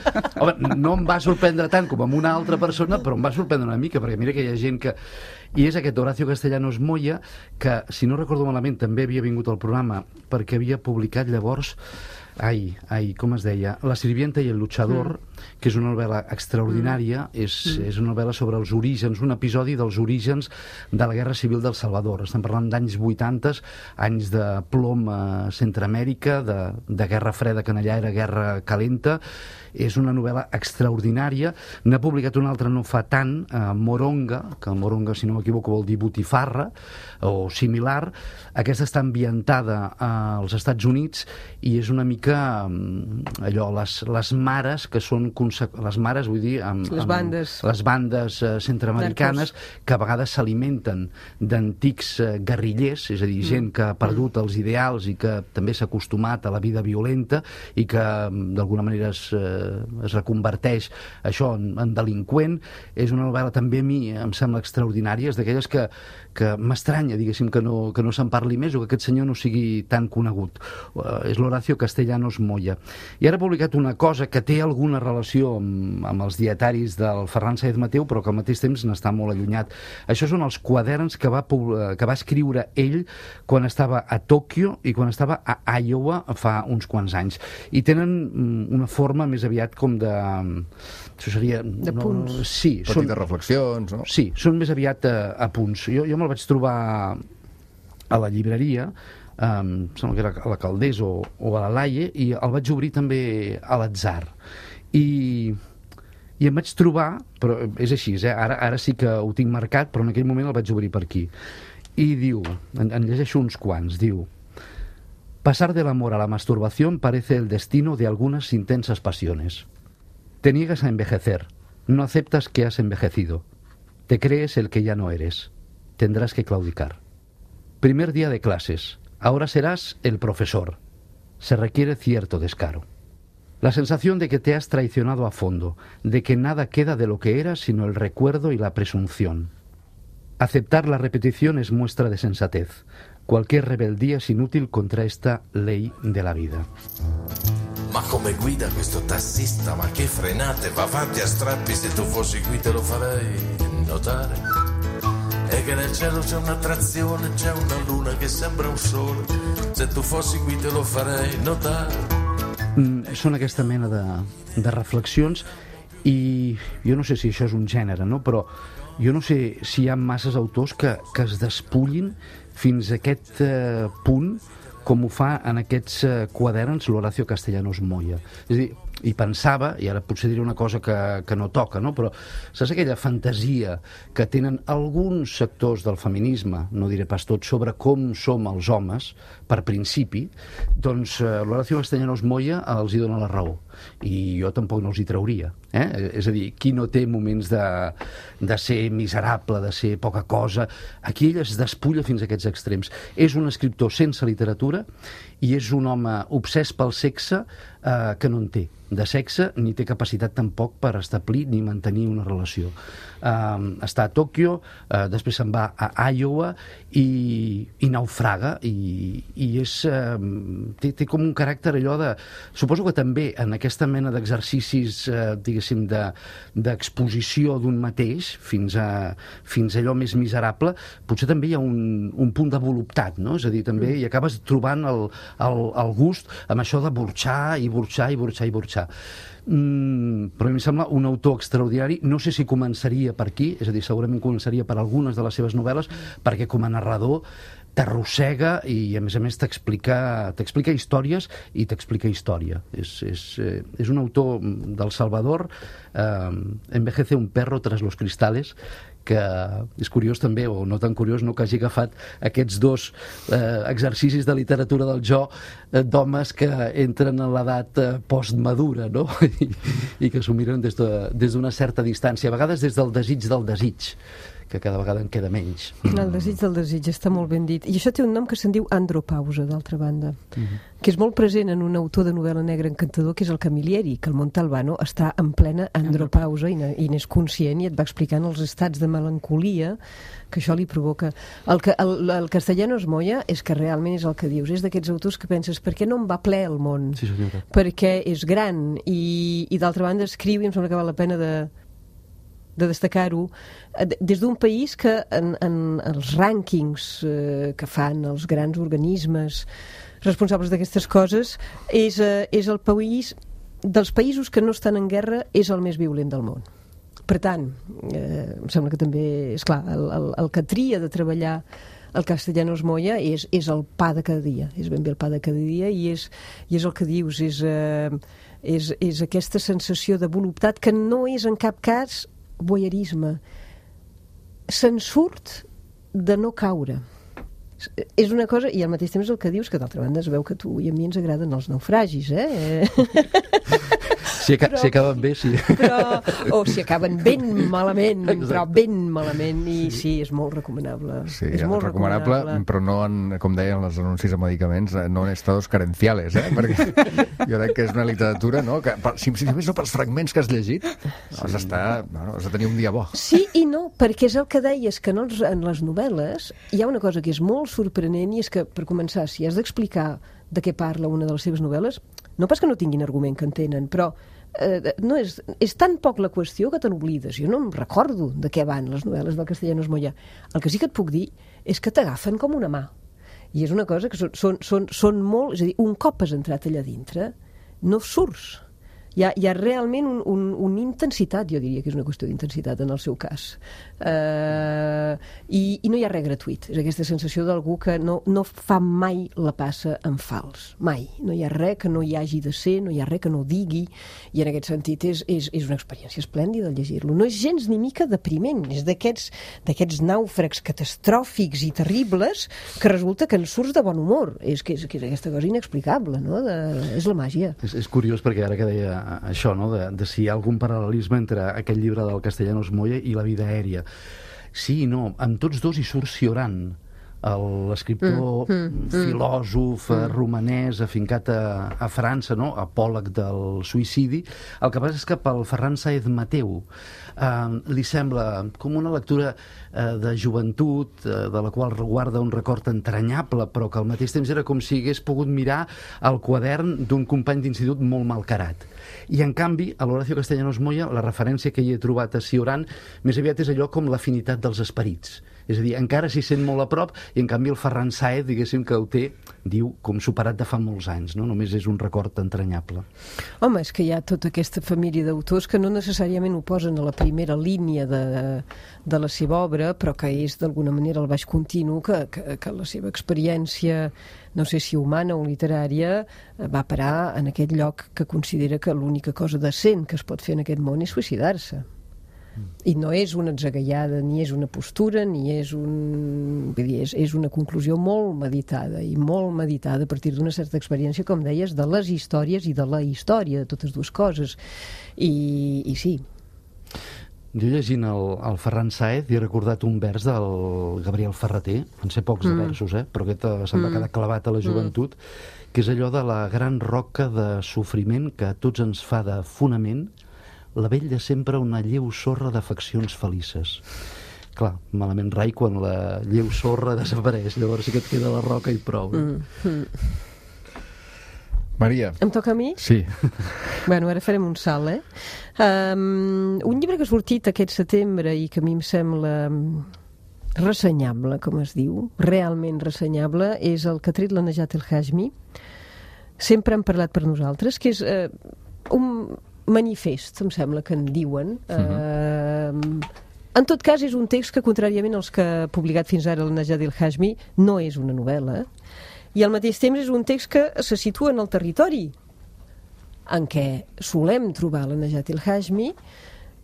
Home, no em va sorprendre tant com amb una altra persona, però em va sorprendre una mica, perquè mira que hi ha gent que... I és aquest Horacio Castellanos Moya, que, si no recordo malament, també havia vingut al programa, perquè havia publicat llavors... Ai, ai, com es deia? La sirvienta i el luchador, mm. que és una novel·la extraordinària, mm. és, és una novel·la sobre els orígens, un episodi dels orígens de la Guerra Civil del Salvador. Estem parlant d'anys vuitanta, anys de plom a Centroamèrica, de, de Guerra Freda, que allà era Guerra Calenta. És una novel·la extraordinària. N'ha publicat una altra no fa tant, eh, Moronga, que el Moronga, si no m'equivoco, vol dir botifarra, o similar. Aquesta està ambientada als Estats Units i és una mica allò, les, les mares que són són les mares, vull dir, amb, les bandes, amb les bandes eh, centroamericanes que a vegades s'alimenten d'antics eh, guerrillers, és a dir, gent que ha perdut els ideals i que també s'ha acostumat a la vida violenta i que d'alguna manera es, eh, es reconverteix això en, en delinqüent. És una novel·la també a mi em sembla extraordinària, és d'aquelles que, que m'estranya, diguéssim, que no, que no se'n parli més o que aquest senyor no sigui tan conegut. Uh, és l'Horacio Castellanos Moya. I ara ha publicat una cosa que té alguna relació amb, amb els dietaris del Ferran Sáenz Mateu, però que al mateix temps n'està molt allunyat. Això són els quaderns que va, que va escriure ell quan estava a Tòquio i quan estava a Iowa fa uns quants anys. I tenen una forma més aviat com de... Això seria... De punts. No, sí. Petites són, reflexions, no? Sí, són més aviat a, a punts. Jo, jo me'l vaig trobar a la llibreria, Um, sembla que era a la Caldés o, o a la Laie, i el vaig obrir també a l'Atzar i, i em vaig trobar, però és així, eh? ara, ara sí que ho tinc marcat, però en aquell moment el vaig obrir per aquí i diu, en, en llegeixo uns quants, diu: pasar del amor a la masturbación parece el destino de algunas intensas pasiones. Te niegas a envejecer, no aceptas que has envejecido, te crees el que ya no eres, tendrás que claudicar. Primer día de clases. Ahora serás el profesor. Se requiere cierto descaro. La sensación de que te has traicionado a fondo, de que nada queda de lo que eras sino el recuerdo y la presunción. Aceptar la repetición es muestra de sensatez. Cualquier rebeldía es inútil contra esta ley de la vida. Ma come guida questo tassista, ma che frenate, va avanti a strappi, se tu fossi qui te lo farei notare. E che nel cielo c'è un'attrazione, c'è una luna che sembra un sole, se tu fossi qui te lo farei notare. Mm, són aquesta mena de, de reflexions i jo no sé si això és un gènere, no? Però jo no sé si hi ha masses autors que, que es despullin fins a aquest eh, punt com ho fa en aquests eh, quaderns l'Horacio Castellanos Moya. És a dir, i pensava, i ara potser diré una cosa que, que no toca, no? Però saps aquella fantasia que tenen alguns sectors del feminisme, no diré pas tot, sobre com som els homes, per principi, doncs eh, l'Horacio Castellanos Moya els hi dona la raó. I jo tampoc no els hi trauria. Eh? És a dir, qui no té moments de, de ser miserable, de ser poca cosa? Aquí ell es despulla fins a aquests extrems. És un escriptor sense literatura i és un home obsès pel sexe eh, que no en té de sexe, ni té capacitat tampoc per establir ni mantenir una relació. Uh, està a Tòquio, uh, després se'n va a Iowa i, i naufraga i, i és, uh, té, té com un caràcter allò de... Suposo que també en aquesta mena d'exercicis, uh, diguéssim, de, d'exposició d'un mateix fins a, fins a allò més miserable, potser també hi ha un, un punt de voluptat, no? És a dir, també hi acabes trobant el, el, el gust amb això de burxar i burxar i burxar i burxar. Mm, però a mi em sembla un autor extraordinari. No sé si començaria per aquí, és a dir, segurament començaria per algunes de les seves novel·les, perquè com a narrador t'arrossega i a més a més t'explica t'explica històries i t'explica història. És, és, eh, és un autor del Salvador, eh, Envejece un perro tras los cristales, que és curiós també, o no tan curiós, no, que hagi agafat aquests dos eh, exercicis de literatura del jo eh, d'homes que entren en l'edat eh, postmadura, no? I, i que s'ho miren des de, des d'una certa distància, a vegades des del desig del desig, que cada vegada en queda menys. El desig del desig, està molt ben dit. I això té un nom que se'n diu andropausa, d'altra banda, uh-huh. que és molt present en un autor de novel·la negra encantador, que és el Camilleri, que el Montalbano està en plena andropausa i n'és conscient i et va explicant els estats de melancolia que això li provoca. El, que, el, el Castellanos Moya és que realment és el que dius, és d'aquests autors que penses, per què no en va ple el món? Sí, senyora. Perquè és gran i, i d'altra banda escriu i em sembla que val la pena de de destacar-ho, des d'un país que en, en els rànquings eh, que fan els grans organismes responsables d'aquestes coses és, eh, és el país dels països que no estan en guerra és el més violent del món. Per tant, eh, em sembla que també, és clar, el, el, el que tria de treballar el Castellanos Moya és, és el pa de cada dia, és ben bé el pa de cada dia i és, i és el que dius, és, eh, és, és aquesta sensació de voluptat que no és en cap cas voyeurisme. Se'n surt de no caure. És una cosa, i al mateix temps el que dius, que d'altra banda es veu que a tu i a mi ens agraden els naufragis, eh? Si, aca però, si acaben bé, sí. Però, o si acaben ben malament, Exacte. Però ben malament, i sí, és molt recomanable. Sí, és molt recomanable, recomanable, però no, en, com deien els anuncis de medicaments, no en estados carenciales, eh? Perquè jo crec que és una literatura, no? Que, si, si només no pels fragments que has llegit, sí. has d'estar, bueno, has de tenir un dia bo. Sí i no, perquè és el que deies, que en, els, en les novel·les hi ha una cosa que és molt sorprenent, i és que, per començar, si has d'explicar de què parla una de les seves novel·les, no pas que no tinguin argument que en tenen, però eh, no és, és tan poc la qüestió que te n'oblides. Jo no em recordo de què van les novel·les del Castellanos Moya. El que sí que et puc dir és que t'agafen com una mà. I és una cosa que són, són, són, són molt... És a dir, un cop has entrat allà dintre, no surts. Hi ha, hi ha realment un, un, una intensitat, jo diria que és una qüestió d'intensitat en el seu cas. Uh, i, I no hi ha res gratuït. És aquesta sensació d'algú que no, no fa mai la passa en fals. Mai. No hi ha res que no hi hagi de ser, no hi ha res que no digui, i en aquest sentit és, és, és una experiència esplèndida llegir-lo. No és gens ni mica depriment, és d'aquests d'aquests nàufrags catastròfics i terribles que resulta que en surts de bon humor. És que és, que és aquesta cosa inexplicable, no? De, és la màgia. És, és curiós perquè ara que deia això, no? de, de si hi ha algun paral·lelisme entre aquest llibre del Castellanos Moya i La vida aèria. Sí i no, amb tots dos hi surt Cioran, l'escriptor, mm, mm, filòsof, mm. romanès, afincat a, a França, no? Apòleg del suïcidi. El que passa és que pel Ferran Sáez Mateu eh, li sembla com una lectura eh, de joventut, eh, de la qual guarda un record entranyable, però que al mateix temps era com si hagués pogut mirar el quadern d'un company d'institut molt malcarat. I en canvi, a l'Horacio Castellanos Moya, la referència que hi he trobat a Cioran més aviat és allò com l'afinitat dels esperits. És a dir, encara s'hi sent molt a prop, i en canvi el Ferran Sáez, diguéssim, que ho té, diu, com superat de fa molts anys, no? Només és un record entranyable. Home, és que hi ha tota aquesta família d'autors que no necessàriament ho posen a la primera línia de, de la seva obra, però que és d'alguna manera el baix continu, que, que, que la seva experiència, no sé si humana o literària, va parar en aquest lloc que considera que l'única cosa decent que es pot fer en aquest món és suïcidar-se. I no és una atzagaiada, ni és una postura, ni és un... Vull dir, és, és una conclusió molt meditada, i molt meditada a partir d'una certa experiència, com deies, de les històries i de la història, de totes dues coses. I, i sí. Jo llegint el, el Ferran Sáez he recordat un vers del Gabriel Ferrater, en sé pocs mm. de versos, eh? Però aquest se'm va quedar clavat a la joventut, mm. que és allò de la gran roca de sofriment que a tots ens fa de fonament la vell de sempre una lleu sorra d'afeccions felices. Clar, malament rai quan la lleu sorra desapareix, llavors sí que et queda la roca i prou. Mm. Mm. Maria. Em toca a mi? Sí. Bueno, ara farem un salt, eh? Um, un llibre que ha sortit aquest setembre i que a mi em sembla ressenyable, com es diu, realment ressenyable, és el que ha tret la Najat El Hashmi. Sempre han parlat per nosaltres, que és uh, un manifest, em sembla que en diuen. Uh-huh. uh, en tot cas, és un text que, contràriament als que ha publicat fins ara la Najat El Hashmi, no és una novel·la, i al mateix temps és un text que se situa en el territori en què solem trobar la Najat El Hashmi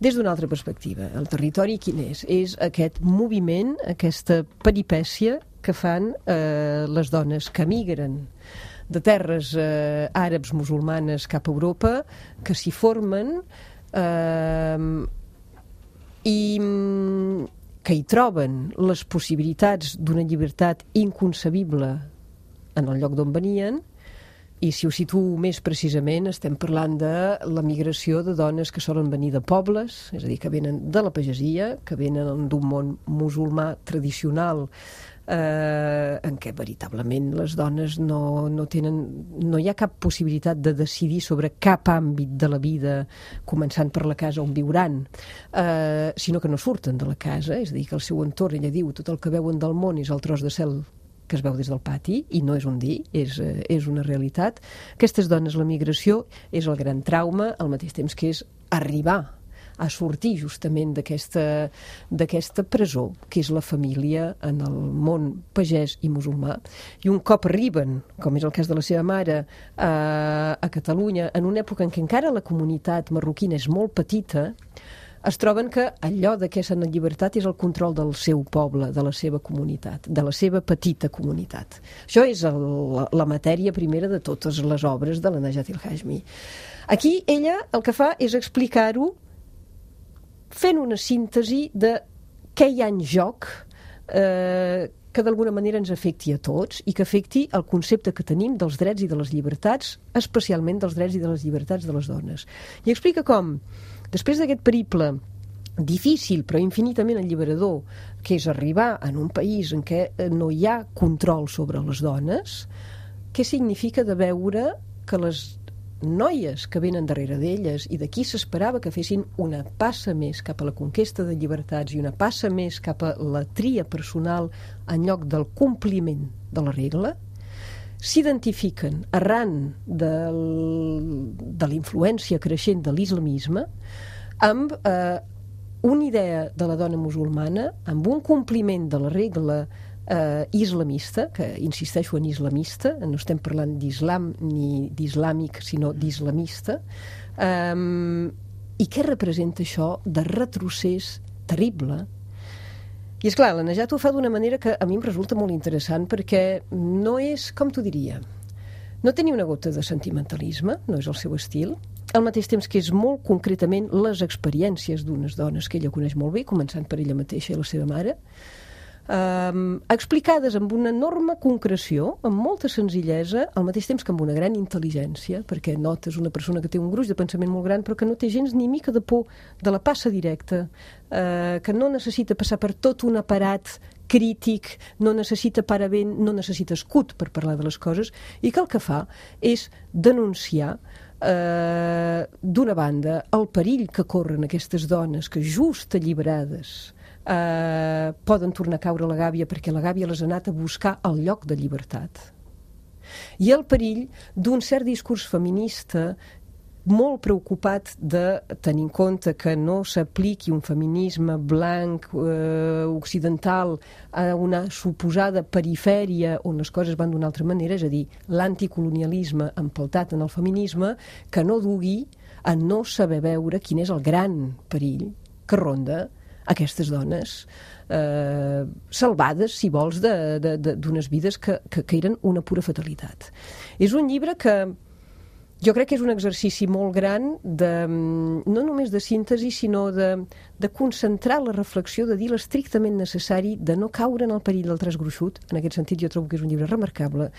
des d'una altra perspectiva. El territori quin és? És aquest moviment, aquesta peripècia que fan eh, les dones que migren de terres eh, àrabs musulmanes cap a Europa, que s'hi formen eh, i que hi troben les possibilitats d'una llibertat inconcebible en el lloc d'on venien. I si ho situo més precisament, estem parlant de la migració de dones que solen venir de pobles, és a dir, que venen de la pagesia, que venen d'un món musulmà tradicional, eh, en què veritablement les dones no, no tenen, no hi ha cap possibilitat de decidir sobre cap àmbit de la vida, començant per la casa on viuran, eh, sinó que no surten de la casa, és a dir, que el seu entorn, ella diu, tot el que veuen del món és el tros de cel que es veu des del pati, i no és un dir, és, eh, és una realitat. Aquestes dones, la migració és el gran trauma, al mateix temps que és arribar a sortir justament d'aquesta d'aquesta presó, que és la família en el món pagès i musulmà. I un cop arriben, com és el cas de la seva mare, a, a Catalunya, en una època en què encara la comunitat marroquina és molt petita, es troben que allò de què s'han en llibertat és el control del seu poble, de la seva comunitat, de la seva petita comunitat. Això és el, la, la matèria primera de totes les obres de la Najat el-Hashmi. Aquí ella el que fa és explicar-ho fent una síntesi de què hi ha en joc eh, que d'alguna manera ens afecti a tots i que afecti el concepte que tenim dels drets i de les llibertats, especialment dels drets i de les llibertats de les dones. I explica com, després d'aquest periple difícil però infinitament alliberador, que és arribar en un país en què no hi ha control sobre les dones, què significa de veure que les noies que venen darrere d'elles i d'aquí s'esperava que fessin una passa més cap a la conquesta de llibertats i una passa més cap a la tria personal en lloc del compliment de la regla, s'identifiquen arran del, de la influència creixent de l'islamisme amb eh, una idea de la dona musulmana, amb un compliment de la regla eh, islamista, que insisteixo en islamista, no estem parlant d'islam ni d'islàmic, sinó d'islamista, eh, i què representa això de retrocés terrible. I és clar, la Najat ho fa d'una manera que a mi em resulta molt interessant perquè no és, com t'ho diria, no té ni una gota de sentimentalisme, no és el seu estil, al mateix temps que és molt concretament les experiències d'unes dones que ella coneix molt bé, començant per ella mateixa i la seva mare, Um, explicades amb una enorme concreció, amb molta senzillesa, al mateix temps que amb una gran intel·ligència, perquè notes una persona que té un gruix de pensament molt gran però que no té gens ni mica de por de la passa directa, uh, que no necessita passar per tot un aparat crític, no necessita paravent, no necessita escut per parlar de les coses, i que el que fa és denunciar uh, d'una banda el perill que corren aquestes dones que just alliberades Uh, poden tornar a caure a la gàbia perquè la gàbia les ha anat a buscar al lloc de llibertat, i el perill d'un cert discurs feminista molt preocupat de tenir en compte que no s'apliqui un feminisme blanc eh, occidental a una suposada perifèria on les coses van d'una altra manera, és a dir, l'anticolonialisme empeltat en el feminisme, que no dugui a no saber veure quin és el gran perill que ronda aquestes dones eh, salvades, si vols, d'unes vides que, que, que eren una pura fatalitat. És un llibre que jo crec que és un exercici molt gran de, no només de síntesi, sinó de, de concentrar la reflexió, de dir l'estrictament necessari, de no caure en el perill del traç gruixut. En aquest sentit jo trobo que és un llibre remarcable.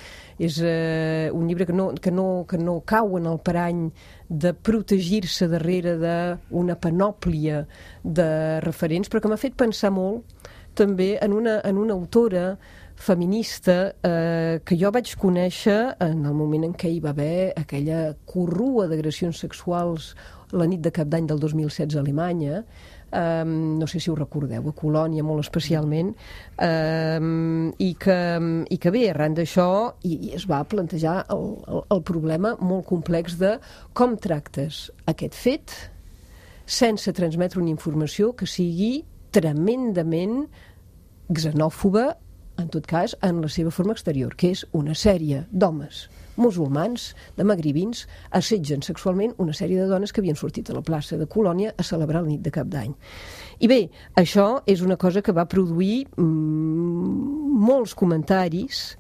És eh, un llibre que no, que, no, que no cau en el parany de protegir-se darrere d'una panòplia de referents, però que m'ha fet pensar molt també en una, en una autora feminista eh, que jo vaig conèixer en el moment en què hi va haver aquella corrua d'agressions sexuals la nit de Cap d'Any del dos mil setze a Alemanya, eh, no sé si ho recordeu, a Colònia molt especialment, eh, i, que, i que bé, arran d'això i, i es va plantejar el, el, el problema molt complex de com tractes aquest fet sense transmetre una informació que sigui tremendament xenòfoba, en tot cas, en la seva forma exterior, que és una sèrie d'homes musulmans, de magribins, assetgen sexualment una sèrie de dones que havien sortit a la plaça de Colònia a celebrar la nit de Cap d'Any. I bé, això és una cosa que va produir mm, molts comentaris.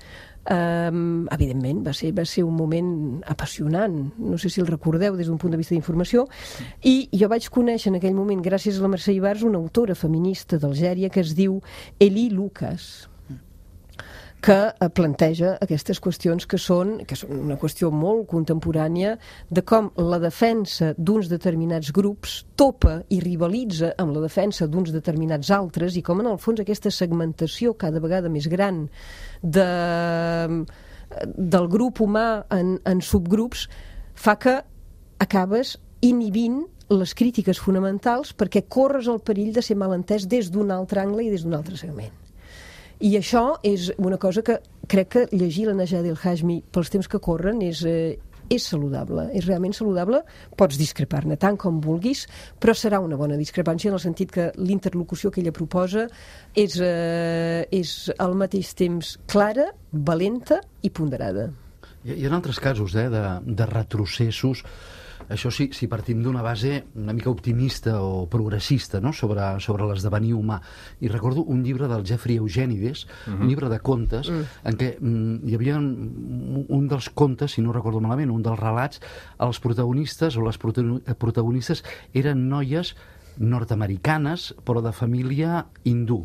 Um, evidentment, va ser, va ser un moment apassionant, no sé si el recordeu des d'un punt de vista d'informació, i jo vaig conèixer en aquell moment, gràcies a la Mercè Ibars, una autora feminista d'Algèria que es diu Eli Lucas, que planteja aquestes qüestions que són, que són una qüestió molt contemporània de com la defensa d'uns determinats grups topa i rivalitza amb la defensa d'uns determinats altres, i com en el fons aquesta segmentació cada vegada més gran de, del grup humà en, en subgrups fa que acabes inhibint les crítiques fonamentals perquè corres el perill de ser malentès des d'un altre angle i des d'un altre segment. I això és una cosa que crec que llegir la Najat el-Hashmi pels temps que corren és, eh, és saludable, és realment saludable. Pots discrepar-ne tant com vulguis, però serà una bona discrepància en el sentit que l'interlocució que ella proposa és, eh, és al mateix temps clara, valenta i ponderada. Hi ha altres casos eh, de, de retrocessos això sí, si partim d'una base una mica optimista o progressista, no?, sobre, sobre l'esdevenir humà. I recordo un llibre del Jeffrey Eugenides, uh-huh. un llibre de contes, uh-huh. en què mm, hi havia un, un dels contes, si no recordo malament, un dels relats, els protagonistes o les protagonistes eren noies nord-americanes, però de família hindú.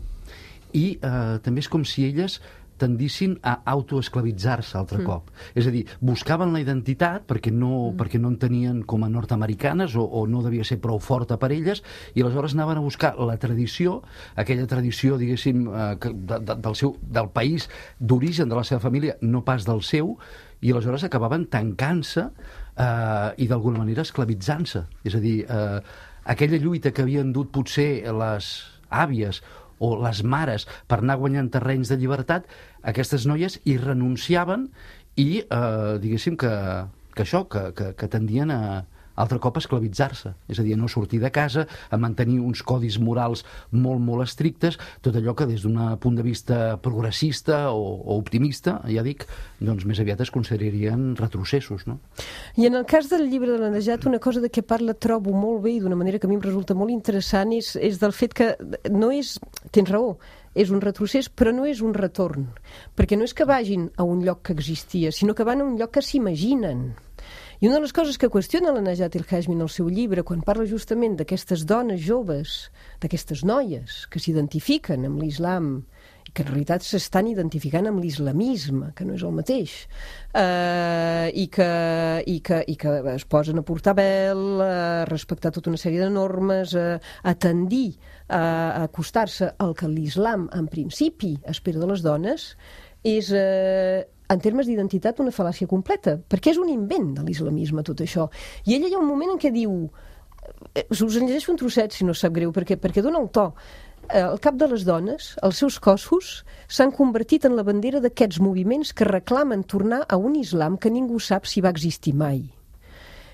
I eh, també és com si elles tendissin a autoesclavitzar-se altre mm. cop. És a dir, buscaven la identitat perquè no, mm. perquè no en tenien com a nord-americanes o, o no devia ser prou forta per elles, i aleshores anaven a buscar la tradició, aquella tradició, diguéssim, eh, de, de, del, seu, del país d'origen de la seva família, no pas del seu, i aleshores acabaven tancant-se eh, i d'alguna manera esclavitzant-se. És a dir, eh, aquella lluita que havien dut potser les àvies o les mares per anar guanyant terrenys de llibertat, aquestes noies hi renunciaven i, eh, diguéssim, que, que això, que, que, que tendien a altre cop a esclavitzar-se. És a dir, a no sortir de casa, a mantenir uns codis morals molt, molt estrictes, tot allò que des d'un punt de vista progressista o, o optimista, ja dic, doncs més aviat es considerarien retrocessos, no? I en el cas del llibre de la Najat, una cosa de què parla trobo molt bé i d'una manera que a mi em resulta molt interessant és, és del fet que no és... Tens raó, és un retrocés, però no és un retorn. Perquè no és que vagin a un lloc que existia, sinó que van a un lloc que s'imaginen. I una de les coses que qüestiona la Najat el-Hashmi en el seu llibre, quan parla justament d'aquestes dones joves, d'aquestes noies que s'identifiquen amb l'islam, i que en realitat s'estan identificant amb l'islamisme, que no és el mateix, eh, i, que, i, que, i que es posen a portar vel, a respectar tota una sèrie de normes, a, a tendir a acostar-se al que l'islam, en principi, espera de les dones, és... Eh, en termes d'identitat, una fal·làcia completa, perquè és un invent de l'islamisme, tot això. I ella hi ha un moment en què diu... Us en llegeixo un trosset, si no sap greu, perquè, perquè dona el to. Al cap de les dones, els seus cossos s'han convertit en la bandera d'aquests moviments que reclamen tornar a un islam que ningú sap si va existir mai.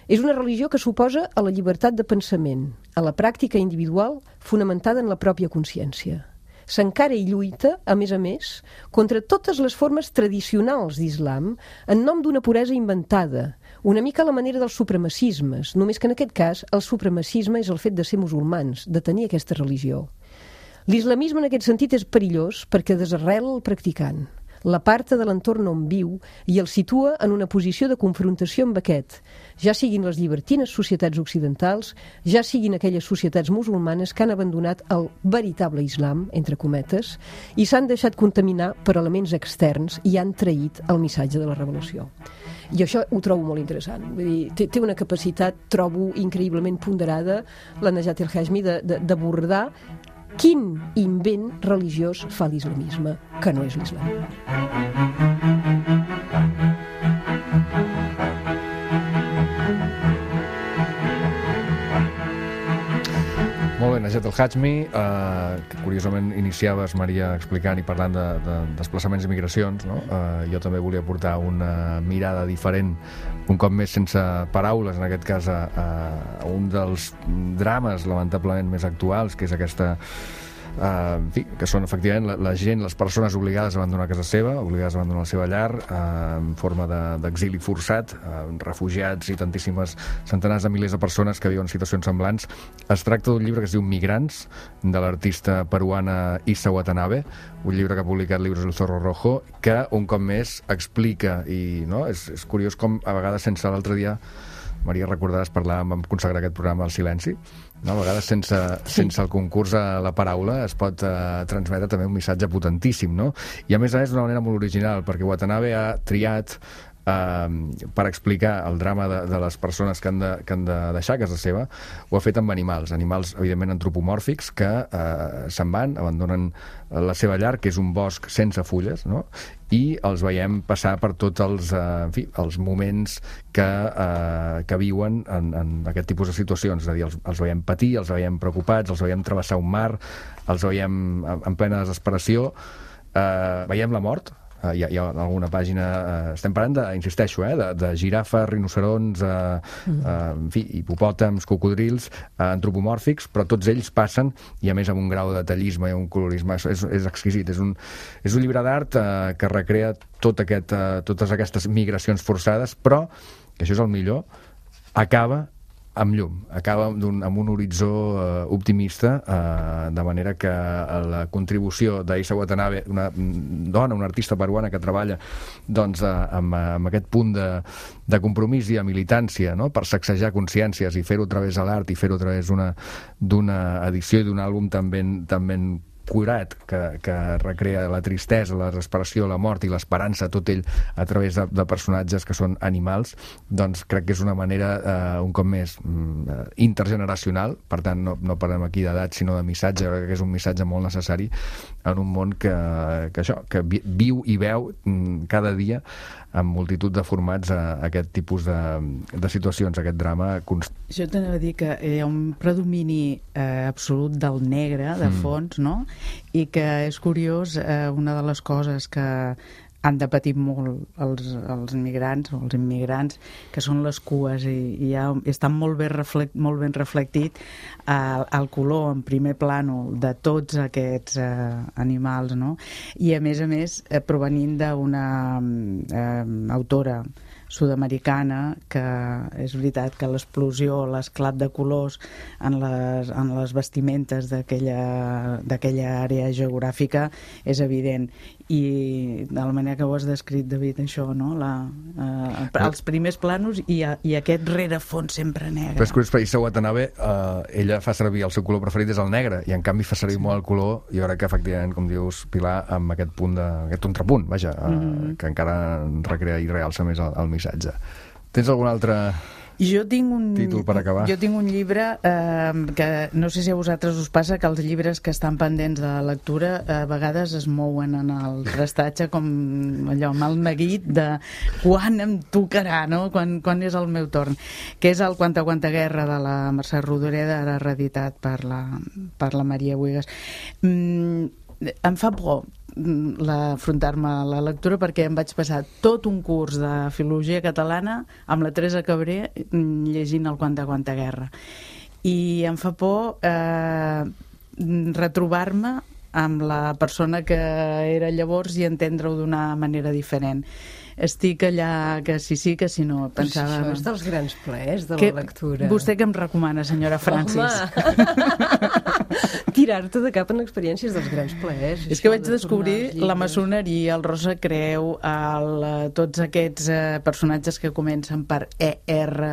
És una religió que suposa a la llibertat de pensament, a la pràctica individual fonamentada en la pròpia consciència. S'encara i lluita, a més a més, contra totes les formes tradicionals d'islam en nom d'una puresa inventada, una mica a la manera dels supremacismes, només que en aquest cas el supremacisme és el fet de ser musulmans, de tenir aquesta religió. L'islamisme en aquest sentit és perillós perquè desarrela el practicant, l'aparta de l'entorn on viu i el situa en una posició de confrontació amb aquest, ja siguin les llibertines societats occidentals, ja siguin aquelles societats musulmanes que han abandonat el veritable islam, entre cometes, i s'han deixat contaminar per elements externs i han traït el missatge de la revelació. I això ho trobo molt interessant. Vull dir, té, té una capacitat, trobo, increïblement ponderada, la Najat el-Hashmi, d'abordar quin invent religiós fa l'islamisme, que no és l'islam. Molt bé, Najat el-Hashmi, eh, que curiosament iniciaves, Maria, explicant i parlant de, de desplaçaments i migracions, no? Eh, jo també volia portar una mirada diferent, un cop més sense paraules, en aquest cas a, a un dels drames lamentablement més actuals, que és aquesta... Uh, en fi, que són efectivament la, la gent, les persones obligades a abandonar casa seva, obligades a abandonar la seva llar uh, en forma d'exili de, forçat, uh, refugiats i tantíssimes centenars de milers de persones que viuen en situacions semblants. Es tracta d'un llibre que es diu Migrants, de l'artista peruana Issa Watanabe, un llibre que ha publicat Libros del Zorro Rojo, que un cop més explica, i no, és, és curiós com a vegades sense l'altre dia, Maria, recordaràs, parlàvem, vam consagrar aquest programa al silenci, no? A vegades sense, sí. sense el concurs a la paraula es pot eh, transmetre també un missatge potentíssim, no? I a més a més d'una manera molt original, perquè Watanabe ha triat eh, per explicar el drama de, de les persones que han, de, que han de deixar casa seva, ho ha fet amb animals, animals evidentment antropomòrfics que eh, se'n van, abandonen la seva llar, que és un bosc sense fulles, no? I els veiem passar per tots els, eh, en fi, els moments que, eh, que viuen en, en aquest tipus de situacions. És a dir, els, els veiem patir, els veiem preocupats, els veiem travessar un mar, els veiem en, en plena desesperació, eh, veiem la mort. Uh, hi, ha, hi ha alguna pàgina, uh, estem parlant de, insisteixo, eh, de, de girafes, rinocerons, uh, mm. uh, en fi, hipopòtams, cocodrils, uh, antropomòrfics, però tots ells passen, i a més amb un grau de detallisme i un colorisme, és, és exquisit. És un, és un llibre d'art uh, que recrea tot aquest, uh, totes aquestes migracions forçades, però, que això és el millor, acaba amb llum, acaba amb un, amb un horitzó eh, optimista, eh, de manera que la contribució d'Aissa Watanabe, una dona, una artista peruana que treballa doncs, eh, amb, amb aquest punt de, de compromís i de militància, no?, per sacsejar consciències i fer-ho a través de l'art i fer-ho a través d'una d'una edició i d'un àlbum també, també curat, que, que recrea la tristesa, la desesperació, la mort i l'esperança, tot ell a través de, de personatges que són animals, doncs crec que és una manera, eh, un cop més, mm, intergeneracional, per tant no, no parlem aquí d'edat sinó de missatge, crec que és un missatge molt necessari en un món que, que això, que vi, viu i veu mm, cada dia amb multitud de formats a, a aquest tipus de, de situacions, aquest drama constant. Jo t'anava a dir que hi ha un predomini eh, absolut del negre, de fons, mm. no? I que és curiós, eh, una de les coses que han de patir molt els, els migrants o els immigrants, que són les cues, i, i ja estan molt ben, reflect, molt ben reflectit eh, el color en primer plànol de tots aquests eh, animals, no? I a més a més eh, provenint d'una eh, autora sud-americana, que és veritat que l'explosió, l'esclat de colors en les, en les vestimentes d'aquella d'aquella àrea geogràfica és evident, i de la manera que ho has descrit, David, això, no? La, eh, els primers plànols i, i aquest rerefons sempre negre. Però és curiós, per Aissa Watanabe, eh, ella fa servir, el seu color preferit és el negre, i en canvi fa servir sí. molt el color, i jo crec que efectivament, com dius, Pilar, amb aquest punt de, aquest contrapunt, vaja, eh, mm-hmm. que encara recrea i realça més el, el missatge. Tens algun altre jo tinc un, títol per acabar? Jo tinc un llibre eh, que no sé si a vosaltres us passa que els llibres que estan pendents de lectura a vegades es mouen en el prestatge com allò amb el neguit de quan em tocarà, no? Quan, quan és el meu torn, que és el Quanta Quanta Guerra de la Mercè Rodoreda, ara reeditat per la, per la Maria Buigas. Mm, em fa por afrontar-me a la lectura perquè em vaig passar tot un curs de filologia catalana amb la Teresa Cabré llegint el Quanta Quanta Guerra, i em fa por eh, retrobar-me amb la persona que era llavors i entendre-ho d'una manera diferent. Estic allà que sí, sí, que si no, pensava... Això és dels grans plaers de que, la lectura. Vostè què em recomana, senyora Francis? Tirar-te de cap en experiències dels grans plaers. És que vaig de descobrir la maçoneria, el Rosa Creu, el, tots aquests eh, personatges que comencen per E R,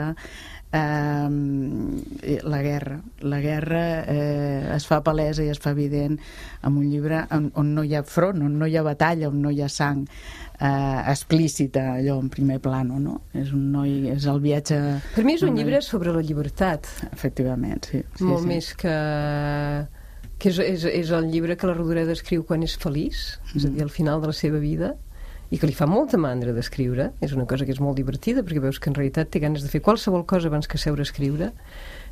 eh, la guerra. La guerra eh, es fa palesa i es fa evident en un llibre on, on no hi ha front, on no hi ha batalla, on no hi ha sang eh, explícita, allò en primer plano, no? És un noi, és el viatge... Per mi és un llibre sobre la llibertat. Efectivament, sí. sí Molt sí. més que... que és, és, és el llibre que la Rodoreda escriu quan és feliç, mm. és a dir, al final de la seva vida, i que li fa molta mandra d'escriure. És una cosa que és molt divertida, perquè veus que en realitat té ganes de fer qualsevol cosa abans que seure a escriure,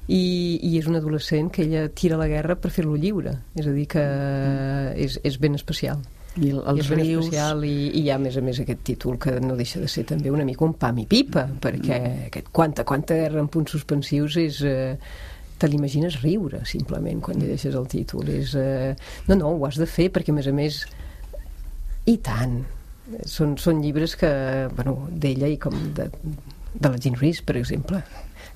i, i és un adolescent que ella tira a la guerra per fer-lo lliure. És a dir, que és, és ben especial. I el, els és ben rius... especial, i, i hi ha, a més a més, aquest títol que no deixa de ser també una mica un pam i pipa, perquè aquest quanta, quanta guerra en punts suspensius és... Eh, te l'imagines riure, simplement, quan llegeixes el títol. És, eh... No, no, ho has de fer, perquè, a més a més, i tant. Són, són llibres que, bueno, d'ella i com de, de la Jean Rhys, per exemple,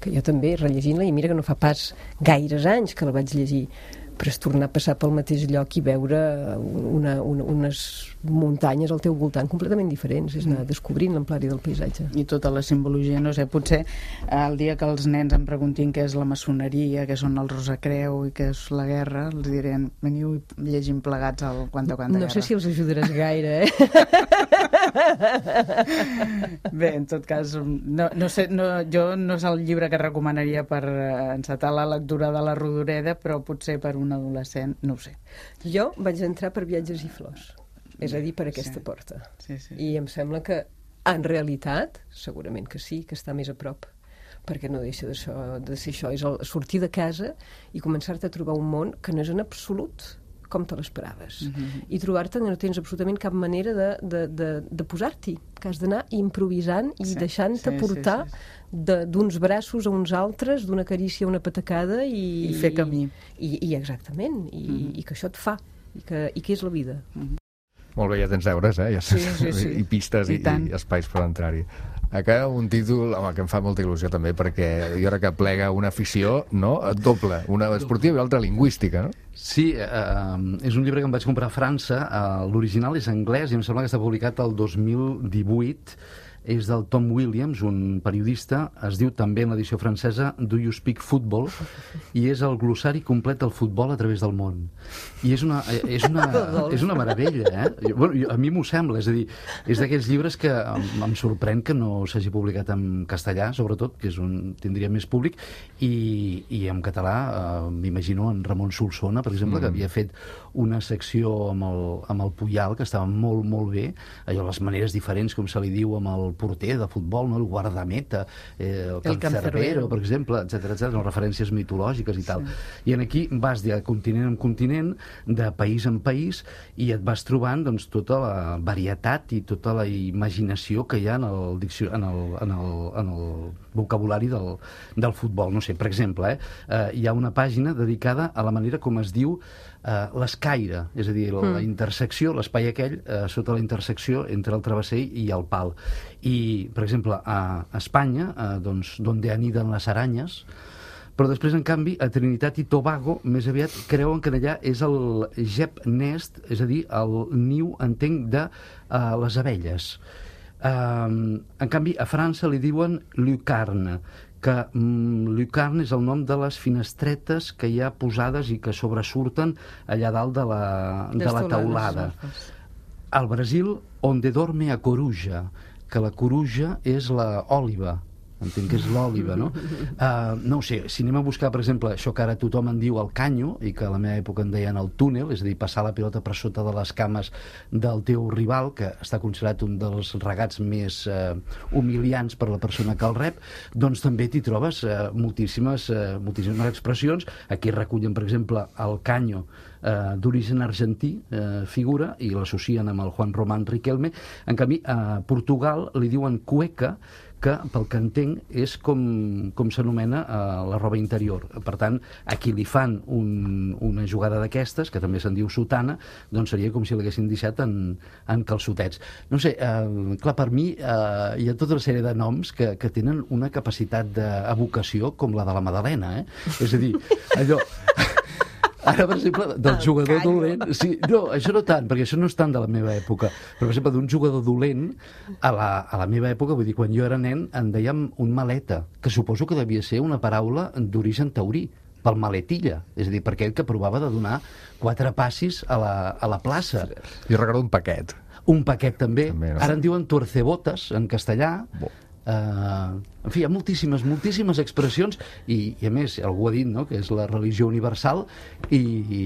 que jo també, rellegint-la, i mira que no fa pas gaires anys que la vaig llegir, però és tornar a passar pel mateix lloc i veure una, una, unes muntanyes al teu voltant completament diferents, és anar descobrint l'amplari del paisatge. I tota la simbologia, no sé, potser el dia que els nens em preguntin què és la maçoneria, què són els Rosacreu i què és la guerra, els diré, veniu i llegim plegats el Quanta Quanta Guerra. No sé si els ajudaràs gaire, eh? Bé, en tot cas, no, no sé, no, jo no és el llibre que recomanaria per encetar la lectura de la Rodoreda, però potser per un adolescent, no ho sé. Jo vaig entrar per Viatges i flors, és a dir, per aquesta sí. porta. Sí, sí. I em sembla que, en realitat, segurament que sí, que està més a prop, perquè no deixa de, so, de ser això, és el sortir de casa i començar-te a trobar un món que no és en absolut com te l'esperaves. Mm-hmm. I trobar-te que no tens absolutament cap manera de, de, de, de posar-t'hi, que has d'anar improvisant i sí, deixant-te sí, portar sí, sí, sí. d'uns braços a uns altres, d'una carícia a una patacada i... I fer camí. I, i exactament, i, mm-hmm. i que això et fa, i que, i que és la vida. Mm-hmm. Molt bé, ja tens deures, eh? Ja Sí, sí, sí. I pistes i, I tant. i espais per entrar-hi. Acá un títol, home, que em fa molta il·lusió també, perquè jo crec que plega una afició, no?, doble, una esportiva i l'altra lingüística, no? Sí, eh, és un llibre que em vaig comprar a França, eh, l'original és anglès i em sembla que està publicat el dos mil divuit, és del Tom Williams, un periodista, es diu també en l'edició francesa Do You Speak Football, i és el glossari complet del futbol a través del món. I és una, és una, és una meravella, eh? Bueno, jo, a mi m'ho sembla, és a dir, és d'aquells llibres que em, em sorprèn que no s'hagi publicat en castellà, sobretot, que és un tindria més públic, i, i en català eh, m'imagino en Ramon Solsona, per exemple, mm. que havia fet una secció amb el, amb el Puyal, que estava molt, molt bé, allò, les maneres diferents, com se li diu, amb el porter de futbol, no? El guardameta, eh, el, el cancerbero, per exemple, etcètera, etcètera, referències mitològiques i tal. Sí. I en aquí vas de continent en continent, de país en país, i et vas trobant doncs, tota la varietat i tota la imaginació que hi ha en el, diccio... en el, en el, en el vocabulari del, del futbol. No sé, per exemple, eh, eh, hi ha una pàgina dedicada a la manera com es diu Uh, l'escaire, és a dir, la, mm. la intersecció, l'espai aquell, uh, sota la intersecció entre el travesser i el pal. I, per exemple, a Espanya, uh, doncs, donde aniden les aranyes, però després, en canvi, a Trinitat i Tobago, més aviat, creuen que allà és el Gep Nest, és a dir, el niu, entenc, de uh, les abelles. Uh, en canvi, a França li diuen Lucarne, que mm, Lucarne és el nom de les finestretes que hi ha posades i que sobresurten allà dalt de la, de la teulada. Al Brasil, onde dorme a coruja, que la coruja és l'òliva, entenc que és l'òliva, no? Uh, no ho sé, si anem a buscar, per exemple, això que ara tothom en diu el canyo, i que a la meva època en deien el túnel, és a dir, passar la pilota per sota de les cames del teu rival, que està considerat un dels regats més uh, humiliants per la persona que el rep, doncs també t'hi trobes uh, moltíssimes, uh, moltíssimes expressions. Aquí recullen, per exemple, el canyo uh, d'origen argentí, uh, figura, i l'associen amb el Juan Román Riquelme. En canvi, a Portugal li diuen cueca, que, pel que entenc, és com, com s'anomena uh, la roba interior. Per tant, a qui li fan un, una jugada d'aquestes, que també se'n diu sotana, doncs seria com si l'haguessin deixat en, en calçotets. No sé, uh, clar, per mi uh, hi ha tota una sèrie de noms que, que tenen una capacitat d'evocació com la de la Madalena, eh? És a dir, allò... Ara, per exemple, del el jugador canyo. dolent... Sí, no, això no tant, perquè això no és tant de la meva època. Però, per exemple, d'un jugador dolent, a la, a la meva època, vull dir, quan jo era nen, en dèiem un maleta, que suposo que devia ser una paraula d'origen taurí, pel maletilla, és a dir, per aquell que provava de donar quatre passis a la, a la plaça. Jo recordo un paquet. Un paquet també. també no? Ara en diuen tuercebotes, en castellà. Bo. Uh, en fi, hi ha moltíssimes, moltíssimes expressions i, i a més, algú ha dit, no?, que és la religió universal i, i,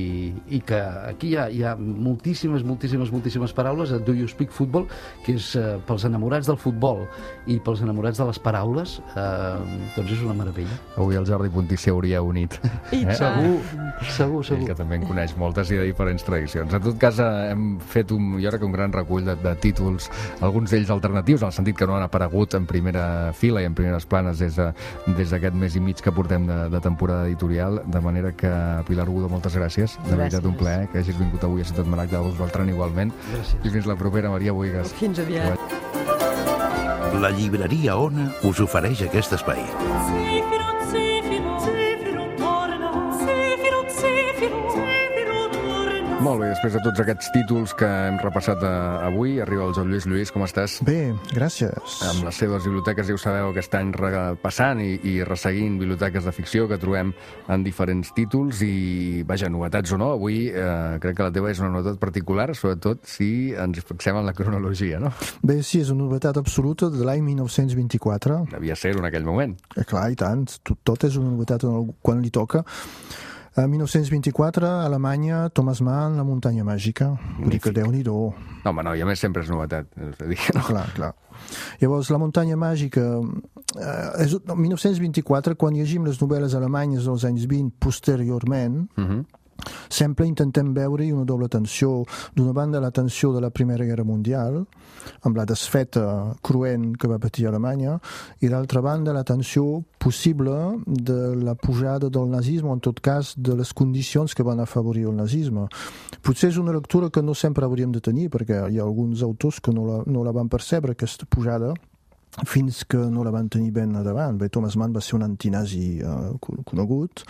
i que aquí hi ha, hi ha moltíssimes, moltíssimes, moltíssimes paraules. Do You Speak Football, que és uh, pels enamorats del futbol i pels enamorats de les paraules, uh, doncs és una meravella. Avui el Jordi Puntí s'hi hauria unit. I eh? Segur, segur, segur. Ell que també en coneix moltes i de diferents tradicions. En tot cas, hem fet un, jo crec que un gran recull de, de títols, alguns d'ells alternatius, en el sentit que no han aparegut en primera fila i en primeres planes des d'aquest de, mes i mig que portem de, de temporada editorial, de manera que, Pilar Udo, moltes gràcies. De veritat, un plaer que hagis vingut avui a Ciutat Maragda, a Dolors Beltrán igualment. Gràcies. I fins la propera, Maria Bohigas. Fins aviat. La llibreria Ona us ofereix aquest espai. Molt bé, després de tots aquests títols que hem repassat avui, arriba el Joan Lluís. Lluís, com estàs? Bé, gràcies. Amb les seves biblioteques, ja ho sabeu, aquest any repassant i, i resseguint biblioteques de ficció que trobem en diferents títols i, vaja, novetats o no, avui eh, crec que la teva és una novetat particular, sobretot si ens fixem en la cronologia, no? Bé, sí, és una novetat absoluta de l'any dinou vint-i-quatre. Devia ser en aquell moment. Eh, clar, i tant, tot, tot és una novetat quan li toca. A dinou vint-i-quatre, a Alemanya, Thomas Mann, La muntanya màgica. Vull dir que Déu-n'hi-do. No, home, no, i a més sempre és novetat. És a dir, no? Clar, clar. Llavors, La muntanya màgica... Eh, és dinou vint-i-quatre, quan llegim les novel·les alemanyes dels anys vint posteriorment, uh-huh. sempre intentem veure-hi una doble tensió. D'una banda, la tensió de la Primera Guerra Mundial, amb la desfeta cruent que va patir Alemanya, i d'altra banda, la tensió possible de la pujada del nazisme, o en tot cas de les condicions que van afavorir el nazisme. Potser és una lectura que no sempre hauríem de tenir, perquè hi ha alguns autors que no la, no la van percebre, aquesta pujada, fins que no la van tenir ben a davant. Bé, Thomas Mann va ser un antinazi eh, conegut.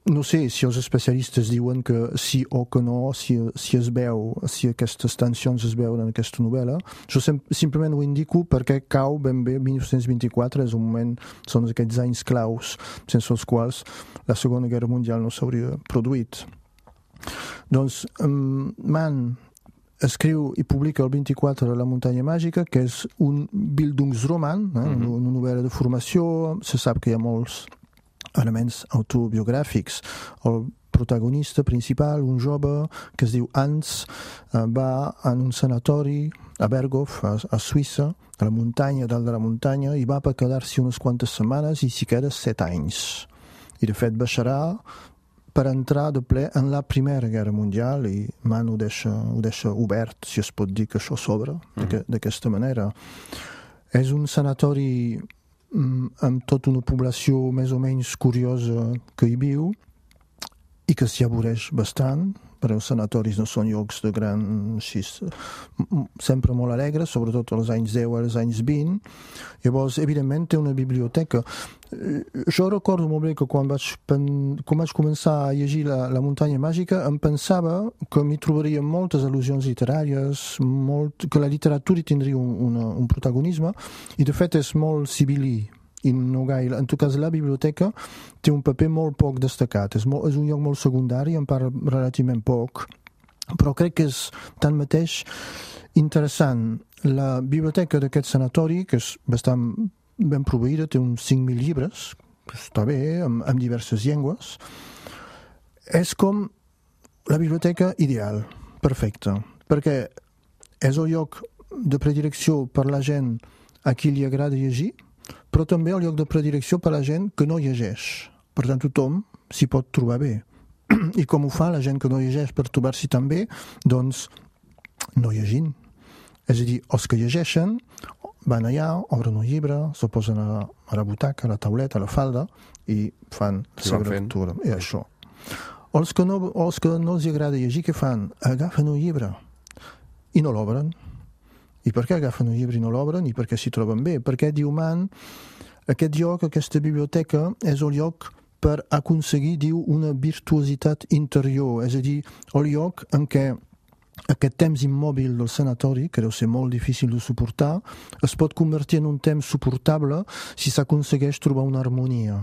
No sé si els especialistes diuen que sí o que no, si, si es veu, si aquestes tensions es veuen en aquesta novel·la. Jo sem simplement ho indico perquè cau ben bé mil nou-cents vint-i-quatre, és un moment, són aquests anys claus, sense els quals la Segona Guerra Mundial no s'hauria produït. Doncs um, Mann escriu i publica el vint-i-quatre La muntanya màgica, que és un Bildungsroman, eh? mm-hmm. una novel·la de formació. Se sap que hi ha molts elements autobiogràfics. El protagonista principal, un jove que es diu Hans, va en un sanatori a Berghof, a, a Suïssa, a la muntanya, dalt de la muntanya, i va per quedar-s'hi unes quantes setmanes i s'hi queda set anys. I de fet baixarà per entrar de ple en la Primera Guerra Mundial, i Mann ho deixa, ho deixa obert, si es pot dir que això s'obre mm. d'aquesta manera. És un sanatori amb tota una població més o menys curiosa que hi viu i que s'hi avoreix bastant, perquè els sanatoris no són llocs de gran... Així, sempre molt alegres, sobretot als anys deu i als anys vint. Llavors, evidentment, té una biblioteca. Jo recordo molt bé que quan vaig, quan vaig començar a llegir la, la muntanya màgica em pensava que m'hi trobaria moltes al·lusions literàries, molt, que la literatura hi tindria un, una, un protagonisme, i de fet és molt sibil·lí. I no gaire. En tot cas, la biblioteca té un paper molt poc destacat. És, molt, és un lloc molt secundari, en parla relativament poc, però crec que és tanmateix interessant. La biblioteca d'aquest sanatori, que és bastant ben proveïda, té uns cinc mil llibres, està bé, amb, amb diverses llengües. És com la biblioteca ideal, perfecta, perquè és el lloc de predilecció per la gent a qui li agrada llegir, però també el lloc de predilecció per a la gent que no llegeix. Per tant, tothom s'hi pot trobar bé. I com ho fa la gent que no llegeix per trobar-s'hi tan bé? Doncs no llegint. És a dir, els que llegeixen van allà, obren un llibre, s'ho posen a, a la butaca, a la tauleta, a la falda, i fan la seva lectura. I això. Els que, no, els que no els agrada llegir, què fan? Agafen un llibre i no l'obren. I per què agafen un llibre i no l'obren? I per què s'hi troben bé? Perquè, diu Mann, aquest lloc, aquesta biblioteca, és el lloc per aconseguir, diu, una virtuositat interior. És a dir, el lloc en què aquest temps immòbil del sanatori, que deu ser molt difícil de suportar, es pot convertir en un temps suportable si s'aconsegueix trobar una harmonia.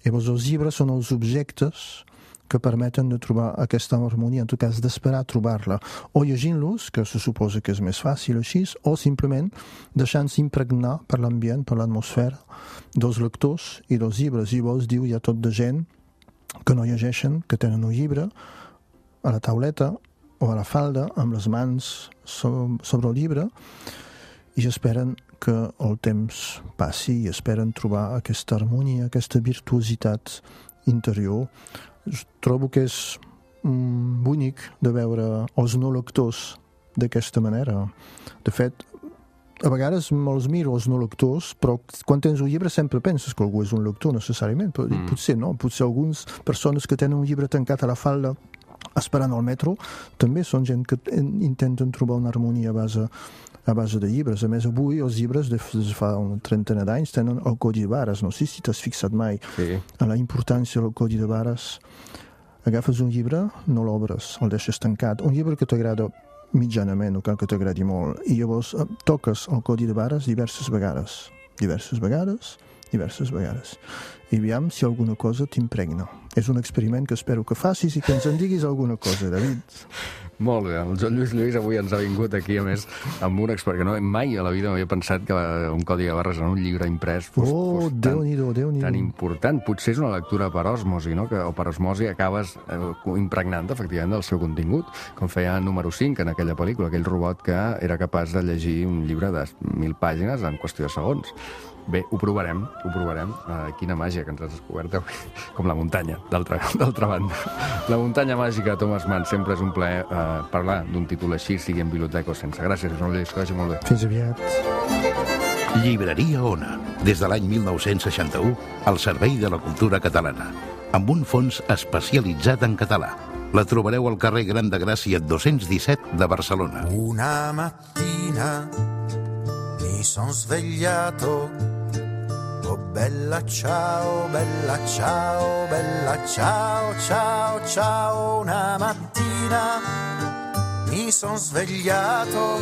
Llavors, els llibres són els objectes que permeten de trobar aquesta harmonia, en tot cas d'esperar trobar-la, o llegint-los, que se suposa que és més fàcil així, o simplement deixant-se impregnar per l'ambient, per l'atmosfera dels lectors i dels llibres. I llavors, diu, hi ha tot de gent que no llegeixen, que tenen un llibre a la tauleta o a la falda, amb les mans sobre el llibre, i esperen que el temps passi i esperen trobar aquesta harmonia, aquesta virtuositat interior. Trobo que és mm, bonic de veure els no lectors d'aquesta manera. De fet, a vegades me'ls miro els no lectors, però quan tens un llibre sempre penses que algú és un lector necessàriament, però mm. potser no, potser algunes persones que tenen un llibre tancat a la falda esperant al metro també són gent que intenten trobar una harmonia a base, a base de llibres. A més, avui els llibres de fa una trentena d'anys tenen el codi de barres. No sé si t'has fixat mai sí. en la importància del codi de barres. Agafes un llibre, no l'obres, el deixes tancat. Un llibre que t'agrada mitjanament, no cal que t'agradi molt, i llavors toques el codi de barres diverses vegades. Diverses vegades, diverses vegades. I aviam si alguna cosa t'impregna. És un experiment que espero que facis i que ens en diguis alguna cosa, David. Molt bé, el Joan Lluís Lluís avui ens ha vingut aquí, a més, amb un expert que no, mai a la vida m'havia pensat que un codi de barres en un llibre imprès fos, oh, fos tan, Déu-n'hi-do, tan important. Potser és una lectura per osmosi, no? Que, o per osmosi acabes eh, impregnant efectivament del seu contingut, com feia número cinc en aquella pel·lícula, aquell robot que era capaç de llegir un llibre de mil pàgines en qüestió de segons. Bé, ho provarem, ho provarem. Uh, quina màgia que ens has descobert avui, com la muntanya. d'altra banda. La muntanya màgica de Thomas Mann, sempre és un plaer eh, parlar d'un títol així, sigui en biblioteca o sense. Gràcies, Joan Lluís, que vagi molt bé. Fins aviat. Llibreria Ona, des de l'any mil nou-cents seixanta-u, al servei de la cultura catalana, amb un fons especialitzat en català. La trobareu al carrer Gran de Gràcia dos-cents disset de Barcelona. Una mattina mi son svegliato, oh bella ciao, bella ciao, bella ciao, ciao, ciao. Una mattina mi son svegliato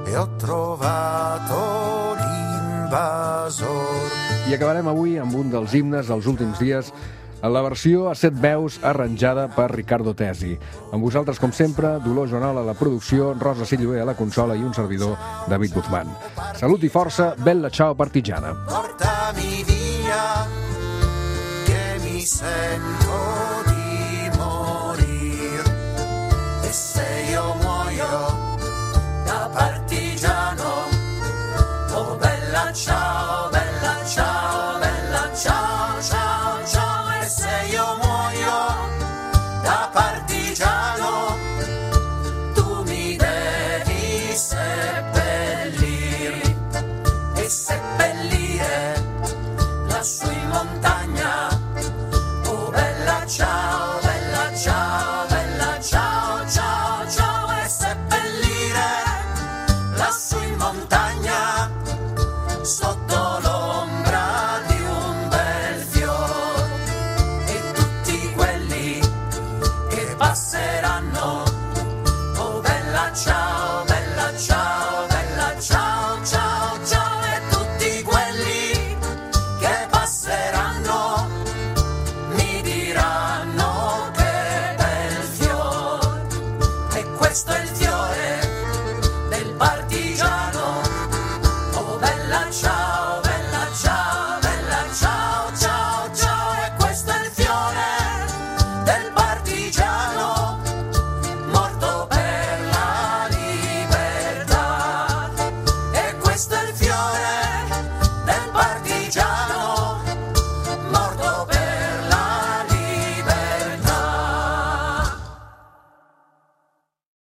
e ho trovato l'invasor. I acabarem avui amb un dels himnes dels últims dies, en la versió a set veus arranjada per Riccardo Tesi. Amb vosaltres, com sempre, Dolors Joanol a la producció, Rosa Silloé a la consola i un servidor, David Guzmán. Salut i força, bella ciao partigiana. Portami via, che mi sento di morir. E se io muoio da partigiano, oh bella ciao, bella ciao, bella ciao, ciao, ciao. Io muoio da partigiano, tu mi devi seppellire e seppellire lassù in montagna. Oh bella ciao, bella ciao, bella ciao, ciao, ciao. E seppellire lassù in montagna sotto l'ombra di un bel fiore. Passeranno, oh bella ciao, bella ciao, bella ciao, ciao, ciao. E tutti quelli che passeranno mi diranno che bel fiore. E questo è il fiore del partigiano, oh bella ciao.